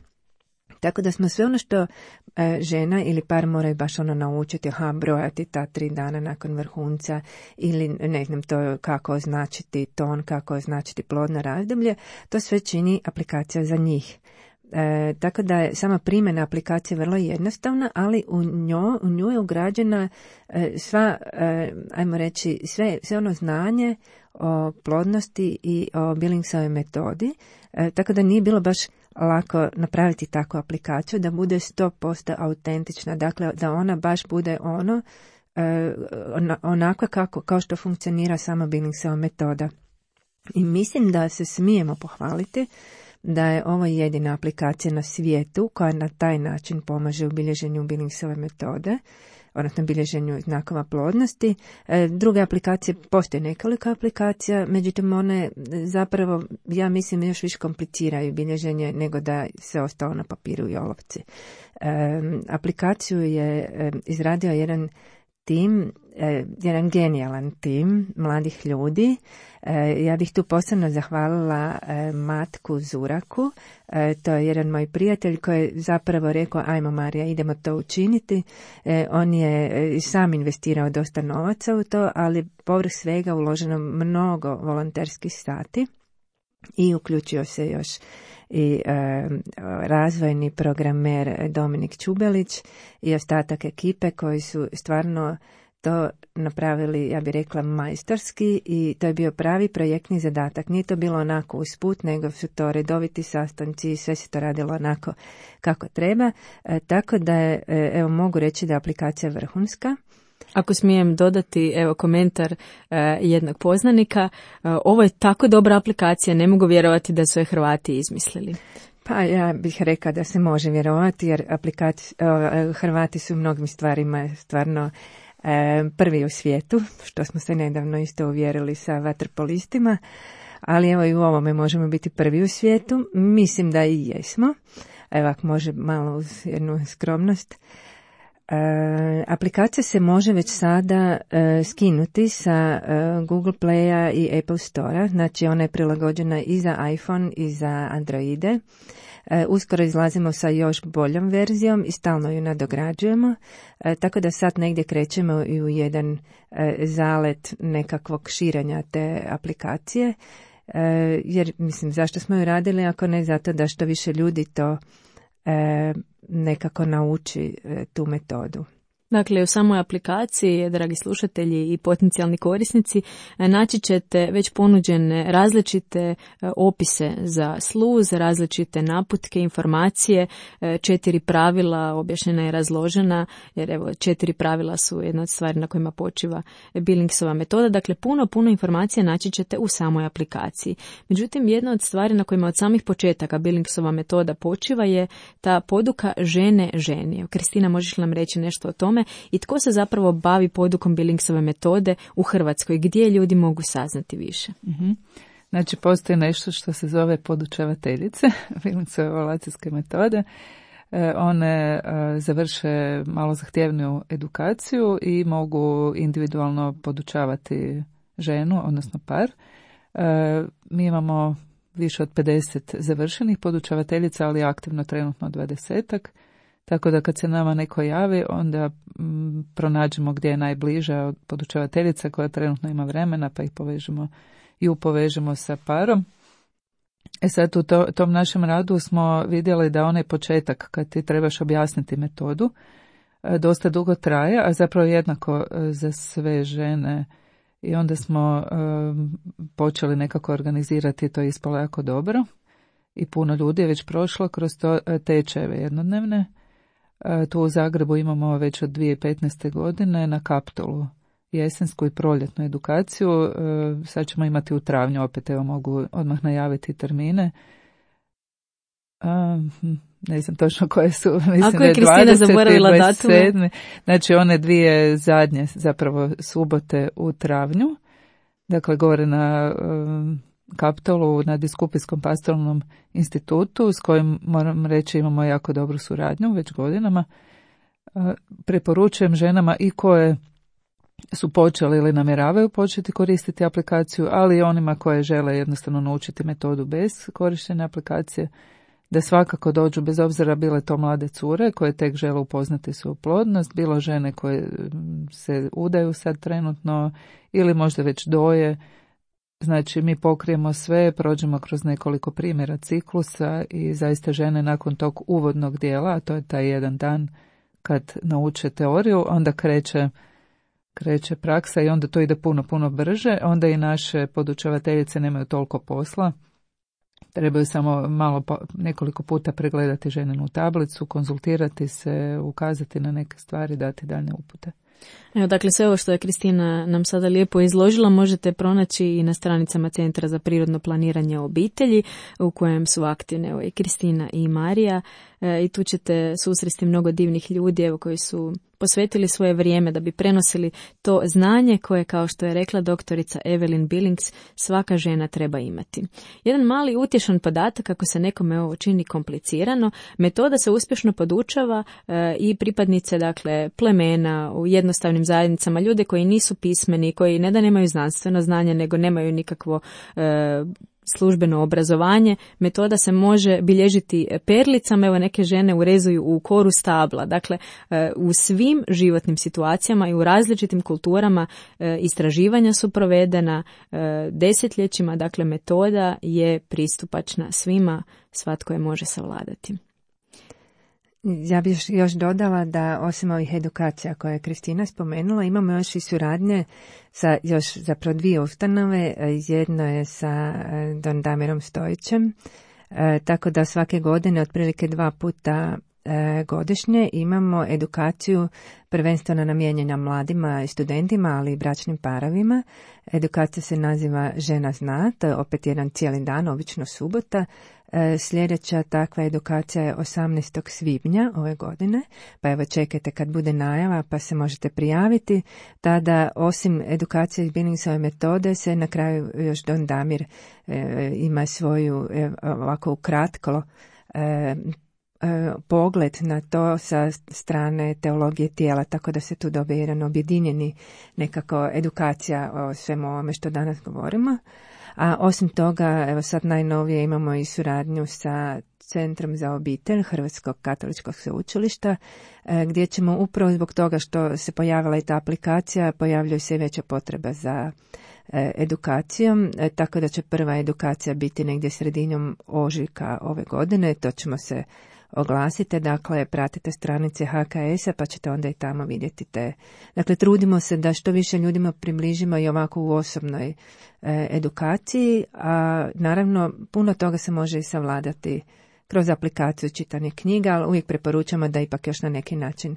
C: Tako da smo sve ono što e, žena ili par moraju baš ono naučiti, aha, brojati ta tri dana nakon vrhunca ili ne znam to kako označiti ton, kako označiti plodno razdoblje, to sve čini aplikacija za njih. E, tako da je sama primjena aplikacije vrlo jednostavna, ali u, njo, u nju je ugrađena e, sva, e, ajmo reći, sve, sve ono znanje o plodnosti i o Billingsovoj metodi, e, tako da nije bilo baš lako napraviti takvu aplikaciju da bude sto posto autentična, dakle da ona baš bude ono e, onako kako, kao što funkcionira sama Billingsova metoda. I mislim da se smijemo pohvaliti da je ovo jedina aplikacija na svijetu koja na taj način pomaže u bilježenju Billingsove metode, odnosno bilježenju znakova plodnosti. E, druge aplikacije, postoje nekoliko aplikacija, međutim one zapravo, ja mislim, još više kompliciraju bilježenje nego da se ostalo na papiru i olovci. E, aplikaciju je e, izradio jedan tim, e, jedan genijalan tim mladih ljudi. E, ja bih tu posebno zahvalila e, Matku Zuraku, e, to je jedan moj prijatelj koji je zapravo rekao, ajmo Marija, idemo to učiniti. E, on je e, sam investirao dosta novaca u to, ali povrh svega uloženo mnogo volonterskih sati i uključio se još i e, razvojni programer Dominik Čubelić i ostatak ekipe koji su stvarno to napravili, ja bih rekla, majstorski i to je bio pravi projektni zadatak. Nije to bilo onako usput, nego su to redoviti sastanci i sve se to radilo onako kako treba. E, tako da je, evo mogu reći da je aplikacija vrhunska.
B: Ako smijem dodati, evo, komentar uh, jednog poznanika, uh, ovo je tako dobra aplikacija, ne mogu vjerovati da su je Hrvati izmislili.
C: Pa ja bih rekla da se može vjerovati, jer aplikaci, uh, Hrvati su u mnogim stvarima stvarno uh, prvi u svijetu, što smo se nedavno isto uvjerili sa vaterpolistima, ali evo i u ovome možemo biti prvi u svijetu. Mislim da i jesmo. Evo, ako može malo uz jednu skromnost. E, aplikacija se može već sada e, skinuti sa e, Google Playa i Apple Store-a, znači ona je prilagođena i za iPhone i za Androide. E, uskoro izlazimo sa još boljom verzijom i stalno ju nadograđujemo, e, tako da sad negdje krećemo i u jedan e, zalet nekakvog širenja te aplikacije, e, jer mislim zašto smo ju radili ako ne zato da što više ljudi to e, nekako nauči tu metodu.
B: Dakle, u samoj aplikaciji, dragi slušatelji i potencijalni korisnici, naći ćete već ponuđene različite opise za sluz, različite naputke, informacije, četiri pravila, objašnjena je razložena, jer evo, četiri pravila su jedna od stvari na kojima počiva Billingsova metoda. Dakle, puno, puno informacija naći ćete u samoj aplikaciji. Međutim, jedna od stvari na kojima od samih početaka Billingsova metoda počiva je ta poduka žene ženi. Kristina, možeš nam reći nešto o tome? I tko se zapravo bavi podukom Billingsove metode u Hrvatskoj? Gdje ljudi mogu saznati više?
D: Mm-hmm. Znači, postoji nešto što se zove podučavateljice Billingsove evaluacijske metode. E, one e, završe malo zahtjevniju edukaciju i mogu individualno podučavati ženu, odnosno par. E, mi imamo više od pedeset završenih podučavateljica, ali aktivno trenutno dvadesetak. Tako da kad se nama neko javi, onda m, pronađemo gdje je najbliža podučavateljica koja trenutno ima vremena, pa ih povežemo i upovežemo sa parom. E sad u to, tom našem radu smo vidjeli da onaj početak kad ti trebaš objasniti metodu dosta dugo traje, a zapravo jednako za sve žene. I onda smo um, počeli nekako organizirati, to je ispalo jako dobro. I puno ljudi je već prošlo kroz to tečajeve jednodnevne. Tu u Zagrebu imamo već od dvije tisuće petnaeste. godine na Kaptolu jesensku i proljetnu edukaciju. Sad ćemo imati u travnju, opet evo mogu odmah najaviti termine. Ne znam točno koje su. Mislim,
B: ako je Kristina zaboravila datume.
D: Znači one dvije zadnje zapravo subote u travnju. Dakle, govore na Kaptolu na Biskupijskom pastoralnom institutu s kojim, moram reći, imamo jako dobru suradnju već godinama. Preporučujem ženama i koje su počeli ili namjeravaju početi koristiti aplikaciju, ali i onima koje žele jednostavno naučiti metodu bez korištenja aplikacije, da svakako dođu, bez obzira bile to mlade cure koje tek žele upoznati svoju plodnost, bilo žene koje se udaju sad trenutno ili možda već doje. Znači, mi pokrijemo sve, prođemo kroz nekoliko primjera ciklusa i zaista žene nakon tog uvodnog dijela, a to je taj jedan dan kad nauče teoriju, onda kreće, kreće praksa i onda to ide puno, puno brže. Onda i naše podučavateljice nemaju toliko posla. Trebaju samo malo, nekoliko puta pregledati ženinu tablicu, konzultirati se, ukazati na neke stvari, dati daljne upute.
B: Evo, dakle, sve ovo što je Kristina nam sada lijepo izložila možete pronaći i na stranicama Centra za prirodno planiranje obitelji u kojem su aktivne evo, i Kristina i Marija e, i tu ćete susresti mnogo divnih ljudi evo, koji su posvetili svoje vrijeme da bi prenosili to znanje koje, kao što je rekla doktorica Evelyn Billings, svaka žena treba imati. Jedan mali utješan podatak, ako se nekome ovo čini komplicirano, metoda se uspješno podučava e, i pripadnice dakle, plemena u jednostavnim zajednicama, ljude koji nisu pismeni, koji ne da nemaju znanstveno znanje, nego nemaju nikakvo e, službeno obrazovanje. Metoda se može bilježiti perlicama, evo neke žene urezuju u koru stabla. Dakle, u svim životnim situacijama i u različitim kulturama istraživanja su provedena desetljećima, dakle metoda je pristupačna svima, svatko je može savladati.
C: Ja bih još, još dodala da osim ovih edukacija koje je Kristina spomenula, imamo još i suradnje sa još zapravo dvije ustanove. Jedno je sa Don Damirom Stojićem, tako da svake godine otprilike dva puta godišnje imamo edukaciju prvenstveno namijenjena mladima i studentima, ali i bračnim parovima. Edukacija se naziva Žena zna, to je opet jedan cijeli dan, obično subota. Sljedeća takva edukacija je osamnaestog svibnja ove godine, pa evo čekajte kad bude najava pa se možete prijaviti. Tada osim edukacije iz Billingsove metode se na kraju još Don Damir e, ima svoju e, ovako ukratko e, pogled na to sa strane teologije tijela, tako da se tu dobije jedan objedinjeni nekako edukacija o svemu ovome što danas govorimo. A osim toga, evo sad najnovije imamo i suradnju sa Centrom za obitelj Hrvatskog katoličkog sveučilišta, gdje ćemo upravo zbog toga što se pojavila i ta aplikacija, pojavljuje se i veća potreba za edukacijom, tako da će prva edukacija biti negdje sredinom ožujka ove godine, to ćemo se oglasite, dakle pratite stranice H K S-a pa ćete onda i tamo vidjeti te. Dakle, trudimo se da što više ljudima približimo i ovako u osobnoj e, edukaciji, a naravno puno toga se može i savladati kroz aplikaciju čitanje knjiga, ali uvijek preporučamo da ipak još na neki način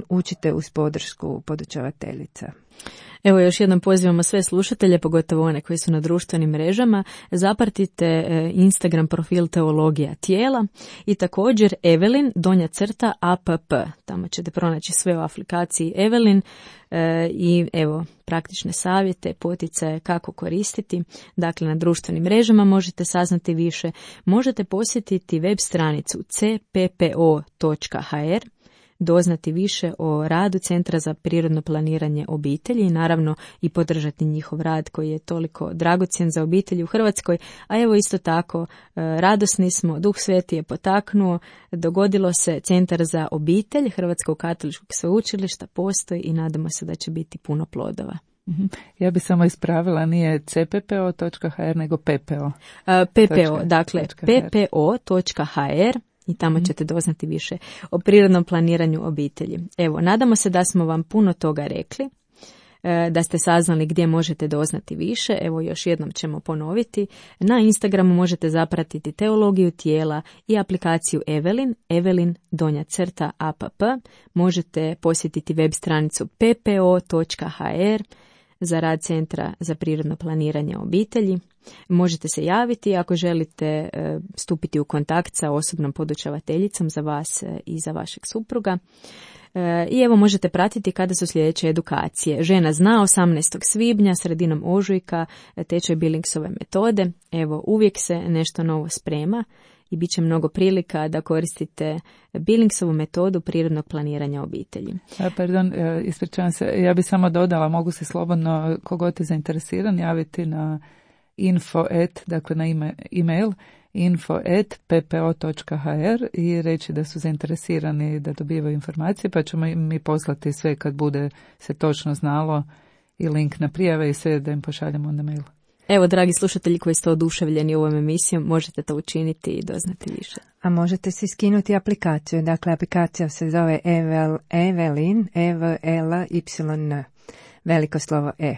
C: učite uz podršku podučavateljica.
B: Evo još jednom pozivamo sve slušatelje, pogotovo one koji su na društvenim mrežama, zapratite Instagram profil Teologija tijela i također Evelin donja crta app. Tamo ćete pronaći sve u aplikaciji Evelin e, i evo praktične savjete, poticaje kako koristiti. Dakle, na društvenim mrežama možete saznati više. Možete posjetiti web stranicu c p p o točka h r, doznati više o radu Centra za prirodno planiranje obitelji i naravno i podržati njihov rad koji je toliko dragocjen za obitelji u Hrvatskoj, a evo isto tako radosni smo, Duh Sveti je potaknuo, dogodilo se Centar za obitelj Hrvatskog katoličkog sveučilišta postoji i nadamo se da će biti puno plodova.
D: Ja bi samo ispravila, nije c p p o točka h r nego p p o.
B: Uh, p p o, dakle p p o točka h r i tamo ćete doznati više o prirodnom planiranju obitelji. Evo, nadamo se da smo vam puno toga rekli, da ste saznali gdje možete doznati više. Evo, još jednom ćemo ponoviti. Na Instagramu možete zapratiti Teologiju tijela i aplikaciju Evelin, Evelin donja crta app. Možete posjetiti web stranicu p p o točka h r za rad Centra za prirodno planiranje obitelji. Možete se javiti ako želite e, stupiti u kontakt sa osobnom podučavateljicom za vas e, i za vašeg supruga. E, I evo možete pratiti kada su sljedeće edukacije. Žena zna osamnaestog svibnja, sredinom ožujka, tečaj Billingsove metode. Evo, uvijek se nešto novo sprema i bit će mnogo prilika da koristite Billingsovu metodu prirodnog planiranja obitelji.
D: A, pardon, ispričavam se, ja bi samo dodala, mogu se slobodno, kogod je zainteresiran, javiti na info et, dakle na ime, email info et p p o točka h r i reći da su zainteresirani da dobivaju informacije, pa ćemo mi poslati sve kad bude se točno znalo i link na prijave i sve da im pošaljemo na mail.
B: Evo, dragi slušatelji koji ste oduševljeni ovom emisijom, možete to učiniti i doznati više.
C: A možete si skinuti aplikaciju. Dakle, aplikacija se zove Evel, Evelin, E V L Y N, veliko slovo E.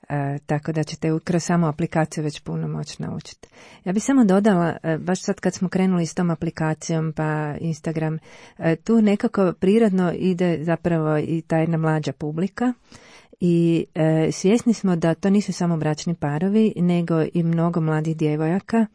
C: E, tako da ćete kroz samu aplikaciju već puno moći naučiti. Ja bih samo dodala, e, baš sad kad smo krenuli s tom aplikacijom pa Instagram, e, tu nekako prirodno ide zapravo i ta jedna mlađa publika. I e, svjesni smo da to nisu samo bračni parovi, nego i mnogo mladih djevojaka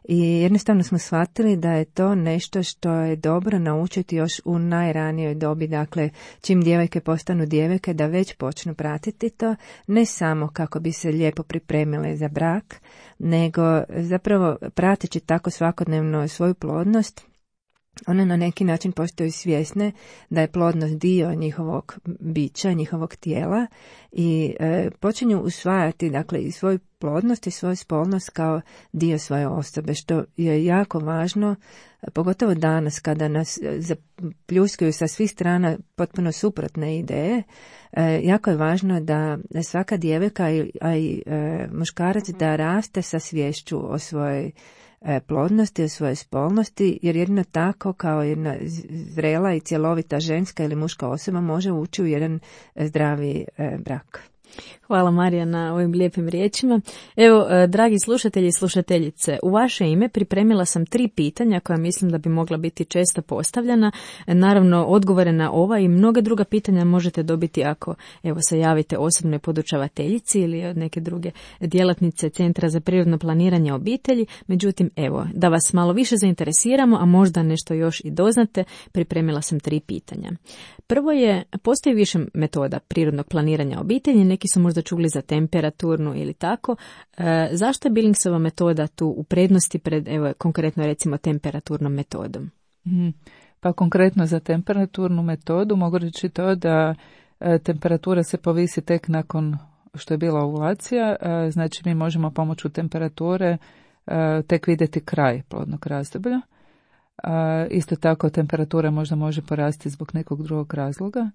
C: i jednostavno smo shvatili da je to nešto što je dobro naučiti još u najranijoj dobi, dakle čim djevojke postanu djevojke da već počnu pratiti to, ne samo kako bi se lijepo pripremile za brak, nego zapravo prateći tako svakodnevno svoju plodnost, one na neki način postaju svjesne da je plodnost dio njihovog bića, njihovog tijela i e, počinju usvajati dakle i svoju plodnost i svoju spolnost kao dio svoje osobe, što je jako važno, pogotovo danas kada nas zapljuskuju sa svih strana potpuno suprotne ideje. E, jako je važno da svaka djevojka, a i e, muškarac da raste sa sviješću o svojoj plodnosti, o svojoj spolnosti, jer jedino tako kao jedna zrela i cjelovita ženska ili muška osoba može ući u jedan zdravi brak.
B: Hvala Marija na ovim lijepim riječima. Evo, dragi slušatelji i slušateljice, u vaše ime pripremila sam tri pitanja koja mislim da bi mogla biti često postavljena. Naravno, odgovore na ova i mnoga druga pitanja možete dobiti ako evo se javite osobnoj podučavateljici ili od neke druge djelatnice Centra za prirodno planiranje obitelji. Međutim, evo, da vas malo više zainteresiramo, a možda nešto još i doznate, pripremila sam tri pitanja. Prvo je, postoji više metoda prirodnog planiranja obitelji, neki su možda čuli za temperaturnu ili tako. E, zašto je Billingsova metoda tu u prednosti pred, evo, konkretno recimo temperaturnom metodom?
D: Mm, pa konkretno za temperaturnu metodu mogu reći to da e, temperatura se povisi tek nakon što je bila ovulacija, e, znači mi možemo pomoću temperature e, tek vidjeti kraj plodnog razdoblja. E, isto tako temperatura možda može porasti zbog nekog drugog razloga.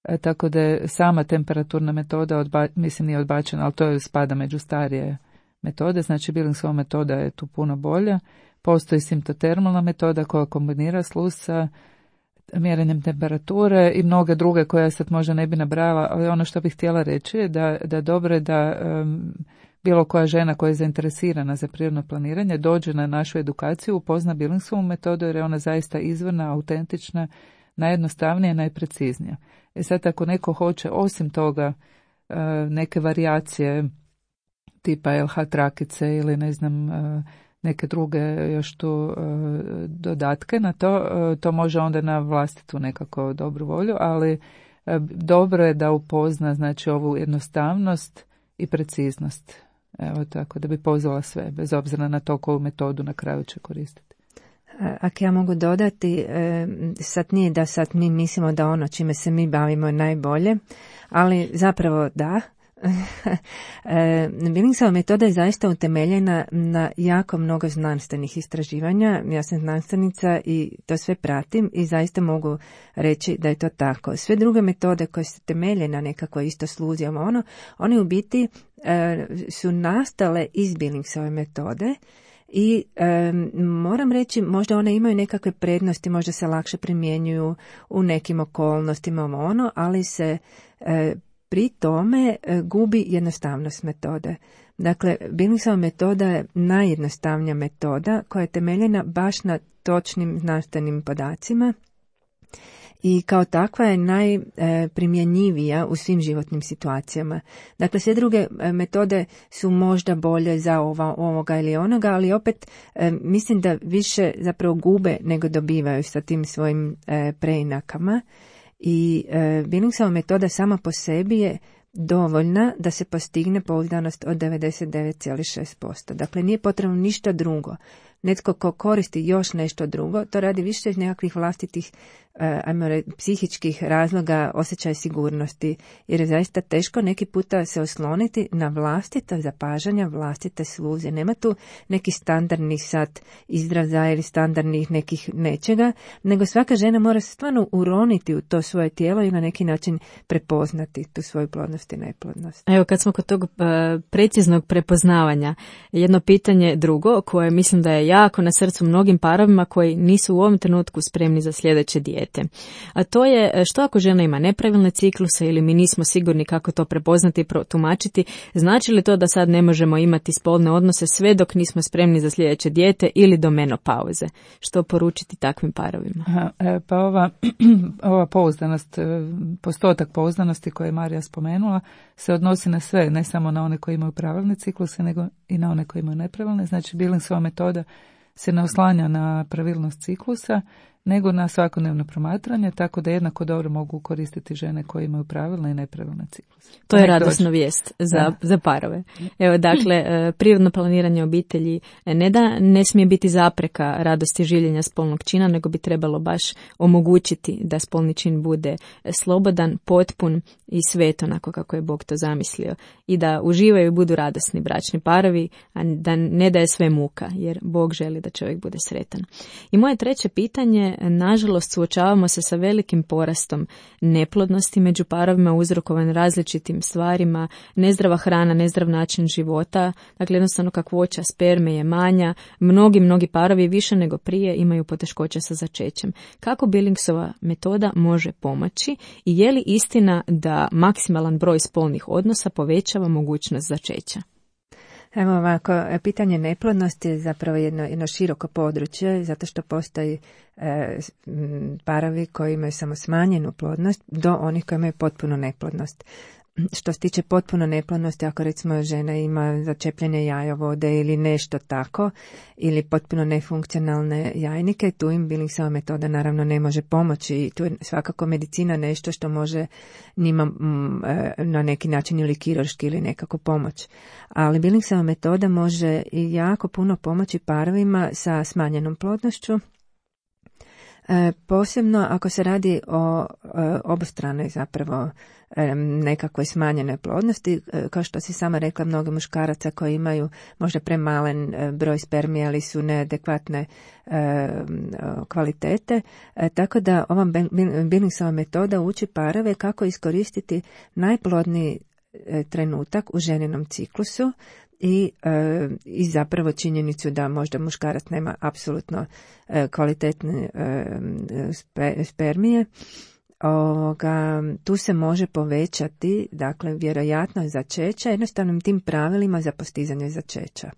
D: E, tako da je sama temperaturna metoda, odba, mislim nije odbačena, ali to je spada među starije metode, znači Billingsova metoda je tu puno bolja. Postoji simptotermalna metoda koja kombinira sluz sa mjerenjem temperature i mnoge druge koje ja sad možda ne bi nabrala, ali ono što bih htjela reći je da, da dobro je da um, bilo koja žena koja je zainteresirana za prirodno planiranje dođe na našu edukaciju, upozna Billingsovu metodu jer je ona zaista izvorna, autentična, najjednostavnija i najpreciznija. E sad ako neko hoće osim toga neke varijacije tipa L H trakice ili ne znam neke druge još tu dodatke na to, to može onda na vlastitu nekako dobru volju, ali dobro je da upozna znači ovu jednostavnost i preciznost. Evo tako da bi pozvala sve, bez obzira na to koju metodu na kraju će koristiti.
C: Ako ja mogu dodati, sad nije da sad mi mislimo da ono čime se mi bavimo je najbolje, ali zapravo da. Billingsova metoda je zaista utemeljena na jako mnogo znanstvenih istraživanja. Ja sam znanstvenica i to sve pratim i zaista mogu reći da je to tako. Sve druge metode koje se temelje na nekako isto sluzijama, ono, one u biti su nastale iz Billingsove metode. I e, moram reći, možda one imaju nekakve prednosti, možda se lakše primjenjuju u nekim okolnostima, ono, ali se e, pri tome e, gubi jednostavnost metode. Dakle, Billingsova metoda je najjednostavnija metoda koja je temeljena baš na točnim znanstvenim podacima i kao takva je najprimjenjivija u svim životnim situacijama. Dakle, sve druge metode su možda bolje za ova, ovoga ili onoga, ali opet mislim da više zapravo gube nego dobivaju sa tim svojim preinakama. I Billingsova metoda sama po sebi je dovoljna da se postigne pouzdanost od devedeset devet zarez šest posto. Dakle, nije potrebno ništa drugo. Netko ko koristi još nešto drugo, to radi više iz nekakvih vlastitih ajmo reći, psihičkih razloga, osjećaj sigurnosti, jer je zaista teško neki puta se osloniti na vlastita zapažanja, vlastite sluze. Nema tu neki standardnih sad izraza ili standardnih nekih nečega, nego svaka žena mora stvarno uroniti u to svoje tijelo i na neki način prepoznati tu svoju plodnost i neplodnost.
B: Evo, kad smo kod tog uh, preciznog prepoznavanja, jedno pitanje drugo koje mislim da je jako na srcu mnogim parovima koji nisu u ovom trenutku spremni za sljedeće dijete. A to je što ako žena ima nepravilne cikluse ili mi nismo sigurni kako to prepoznati i protumačiti, znači li to da sad ne možemo imati spolne odnose sve dok nismo spremni za sljedeće dijete ili do menopauze? Što poručiti takvim parovima?
D: Aha, e, pa ova, ova pouzdanost, postotak pouzdanosti koje je Marija spomenula se odnosi na sve, ne samo na one koji imaju pravilne cikluse, nego i na one koji imaju nepravilne. Znači Billingsova metoda se ne oslanja na pravilnost ciklusa, nego na svakodnevno promatranje, tako da jednako dobro mogu koristiti žene koje imaju pravilne i nepravilne cikluse.
B: To je radosna vijest za, za parove. Evo, dakle, prirodno planiranje obitelji ne da ne smije biti zapreka radosti življenja spolnog čina, nego bi trebalo baš omogućiti da spolni čin bude slobodan, potpun i svet onako kako je Bog to zamislio. I da uživaju i budu radosni bračni parovi, a da ne da je sve muka, jer Bog želi da čovjek bude sretan. I moje treće pitanje nažalost, suočavamo se sa velikim porastom neplodnosti među parovima uzrokovan različitim stvarima, nezdrava hrana, nezdrav način života, dakle jednostavno kakvoća sperme je manja, mnogi, mnogi parovi više nego prije imaju poteškoće sa začećem. Kako Billingsova metoda može pomoći i je li istina da maksimalan broj spolnih odnosa povećava mogućnost začeća?
C: Evo ovako, pitanje neplodnosti je zapravo jedno, jedno široko područje, zato što postoji e, parovi koji imaju samo smanjenu plodnost do onih koji imaju potpunu neplodnost. Što se tiče potpuno neplodnosti, ako recimo žena ima začepljene jajovode ili nešto tako, ili potpuno nefunkcionalne jajnike, tu im Billingsova metoda naravno ne može pomoći i tu je svakako medicina nešto što može njima mm, na neki način ili kirurški ili nekako pomoć. Ali Billingsova metoda može i jako puno pomoći parovima sa smanjenom plodnošću, E, posebno ako se radi o e, obostranoj zapravo e, nekakvoj smanjenoj plodnosti, e, kao što si sama rekla, mnogi muškaraca koji imaju možda premalen e, broj spermija ili su neadekvatne e, kvalitete, e, tako da ova Billingsova metoda uči parove kako iskoristiti najplodniji e, trenutak u ženinom ciklusu I, e, i zapravo činjenicu da možda muškarac nema apsolutno e, kvalitetne e, spe, spermije. Ovoga, tu se može povećati, dakle, vjerojatnost začeća jednostavnim tim pravilima za postizanje začeća.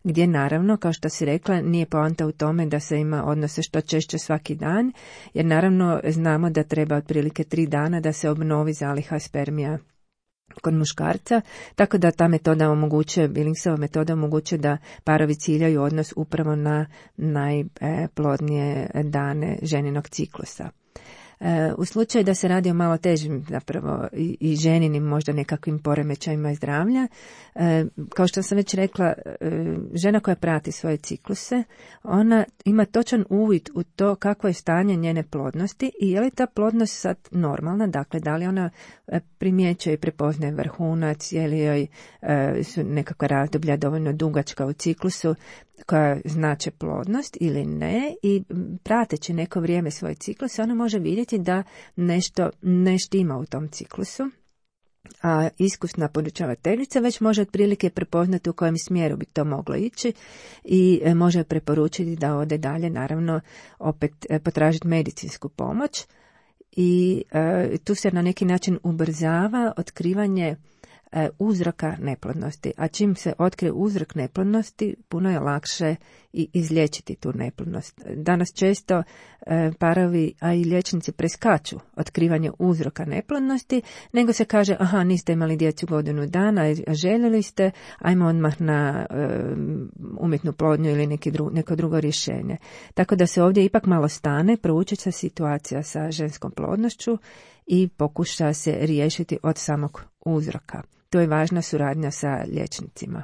C: Gdje naravno, kao što si rekla, nije poanta u tome da se ima odnose što češće svaki dan, jer naravno znamo da treba otprilike tri dana da se obnovi zaliha spermija kod muškarca, tako da ta metoda omogućuje, Billingsova metoda omogućuje da parovi ciljaju odnos upravo na najplodnije dane ženinog ciklusa. U slučaju da se radi o malo težim zapravo i, i ženinim možda nekakvim poremećajima zdravlja, kao što sam već rekla, žena koja prati svoje cikluse, ona ima točan uvid u to kakvo je stanje njene plodnosti i je li ta plodnost sad normalna, dakle da li ona primjećuje i prepoznaje vrhunac, je li joj su nekakva razdoblja dovoljno dugačka u ciklusu koja znače plodnost ili ne, i prateći neko vrijeme svoj ciklus ona može vidjeti da nešto ne štima u tom ciklusu, a iskusna podučavateljica već može otprilike prepoznati u kojem smjeru bi to moglo ići i može preporučiti da ode dalje, naravno opet potražiti medicinsku pomoć i e, tu se na neki način ubrzava otkrivanje uzroka neplodnosti, a čim se otkrije uzrok neplodnosti, puno je lakše i izliječiti tu neplodnost. Danas često e, parovi, a i liječnici preskaču otkrivanje uzroka neplodnosti, nego se kaže, aha, niste imali djecu godinu dana, a željeli ste, ajmo odmah na e, umjetnu plodnju ili neki dru, neko drugo rješenje. Tako da se ovdje ipak malo stane, prouči se situacija sa ženskom plodnošću i pokuša se riješiti od samog uzroka. To je važna suradnja sa liječnicima.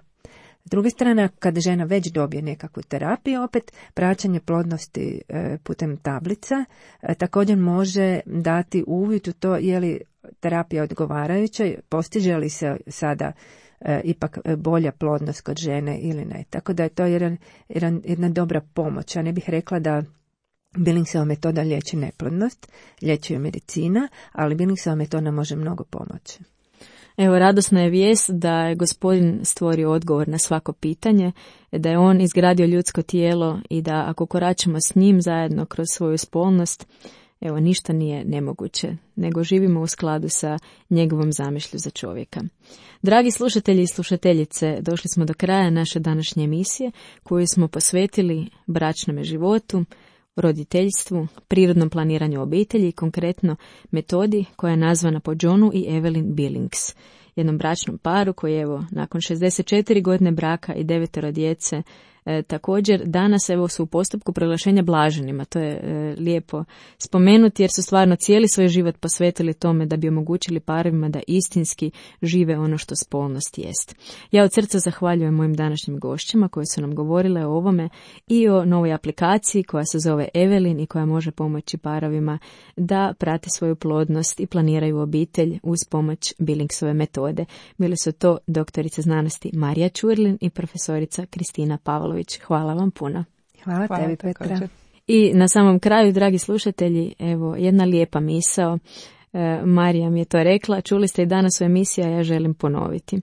C: S druge strane, kad žena već dobije nekakvu terapiju, opet praćenje plodnosti e, putem tablica e, također može dati uvid u to je li terapija odgovarajuća, postiže li se sada e, ipak bolja plodnost kod žene ili ne. Tako da je to jedan, jedan, jedna dobra pomoć. Ja ne bih rekla da Billingsova metoda liječi neplodnost, liječi ju medicina, ali Billingsova metoda može mnogo pomoći.
B: Evo, radosna je vijest da je Gospodin stvorio odgovor na svako pitanje, da je on izgradio ljudsko tijelo i da ako koračamo s njim zajedno kroz svoju spolnost, evo, ništa nije nemoguće, nego živimo u skladu sa njegovom zamišlju za čovjeka. Dragi slušatelji i slušateljice, došli smo do kraja naše današnje emisije koju smo posvetili bračnome životu, roditeljstvu, prirodnom planiranju obitelji i konkretno metodi koja je nazvana po Johnu i Evelyn Billings, jednom bračnom paru koji evo nakon šezdeset četiri godine braka i devetero djece E, također danas evo su u postupku proglašenja blaženima. To je e, lijepo spomenuti jer su stvarno cijeli svoj život posvetili tome da bi omogućili parovima da istinski žive ono što spolnost jest. Ja od srca zahvaljujem mojim današnjim gošćima koje su nam govorile o ovome i o novoj aplikaciji koja se zove Evelyn i koja može pomoći parovima da prate svoju plodnost i planiraju obitelj uz pomoć Billingsove metode. Bili su to doktorica znanosti Marija Čurlin i profesorica Kristina Pavlović. Hvala vam puno.
C: Hvala, Hvala tebi, Petra.
D: Također.
B: I na samom kraju, dragi slušatelji, evo jedna lijepa misao. E, Marija mi je to rekla, čuli ste i danas u emisiji, a ja želim ponoviti.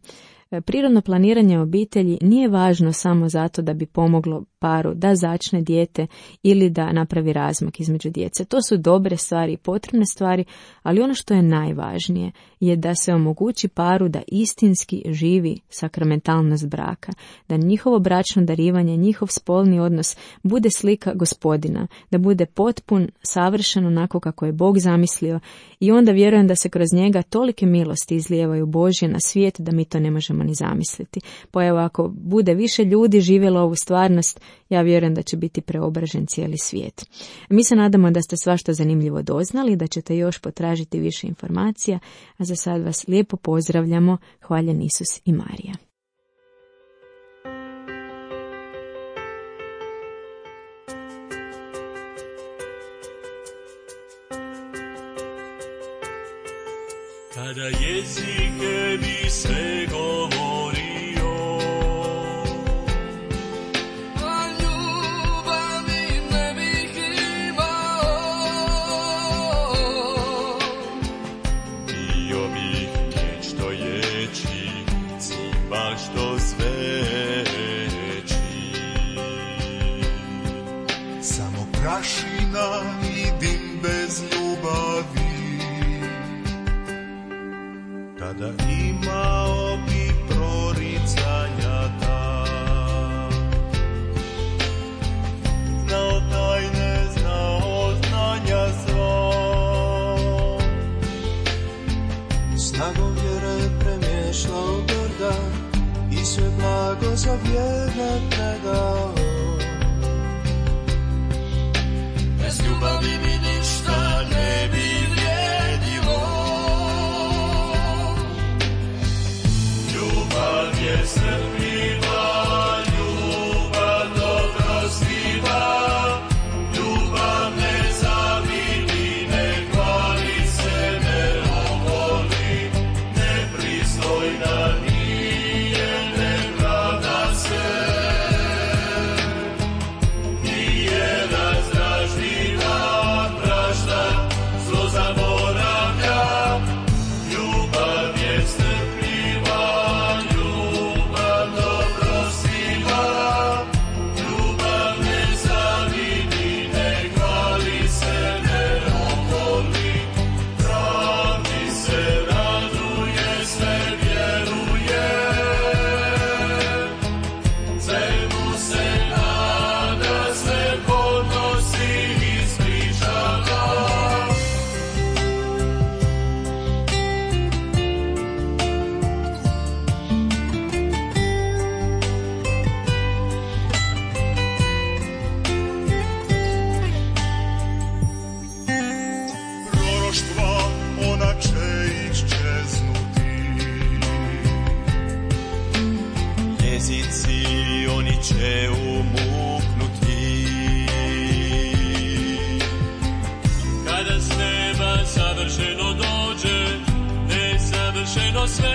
B: E, prirodno planiranje obitelji nije važno samo zato da bi pomoglo paru da začne dijete ili da napravi razmak između djece. To su dobre stvari i potrebne stvari, ali ono što je najvažnije je da se omogući paru da istinski živi sakramentalnost braka, da njihovo bračno darivanje, njihov spolni odnos bude slika Gospodina, da bude potpun, savršen onako kako je Bog zamislio i onda vjerujem da se kroz njega tolike milosti izlijevaju Božje na svijet da mi to ne možemo ni zamisliti. Pa evo, ako bude više ljudi živjelo ovu stvarnost, ja vjerujem da će biti preobražen cijeli svijet. Mi se nadamo da ste svašta zanimljivo doznali, da ćete još potražiti više informacija, a za sad vas lijepo pozdravljamo. Hvaljen Isus i Marija.
E: Kada jezike bi sve govorio, a ljubavi ne bih imao, bio bih nešto ječi, cimba što zveči. Samo prašina i dim bez ljubavi, kada imao bi proricanja ta, znao tajne, znao znanja sva, snagom vjere premješao brda i sve blago za vjerne predao. Bez ljubavi mi ništa ne bi vrijedilo. Ljubav je strpljiva, ljubav dobrostiva, ljubav ne zavidi, ne hvali se, ne oholi, nepristojna nije, ne pravda se. Nije razdražljiva, prašta, zlo zaboravlja, ljubav je strpljiva. Će umuknuti. Kada s neba savršeno dođe, nesavršeno sve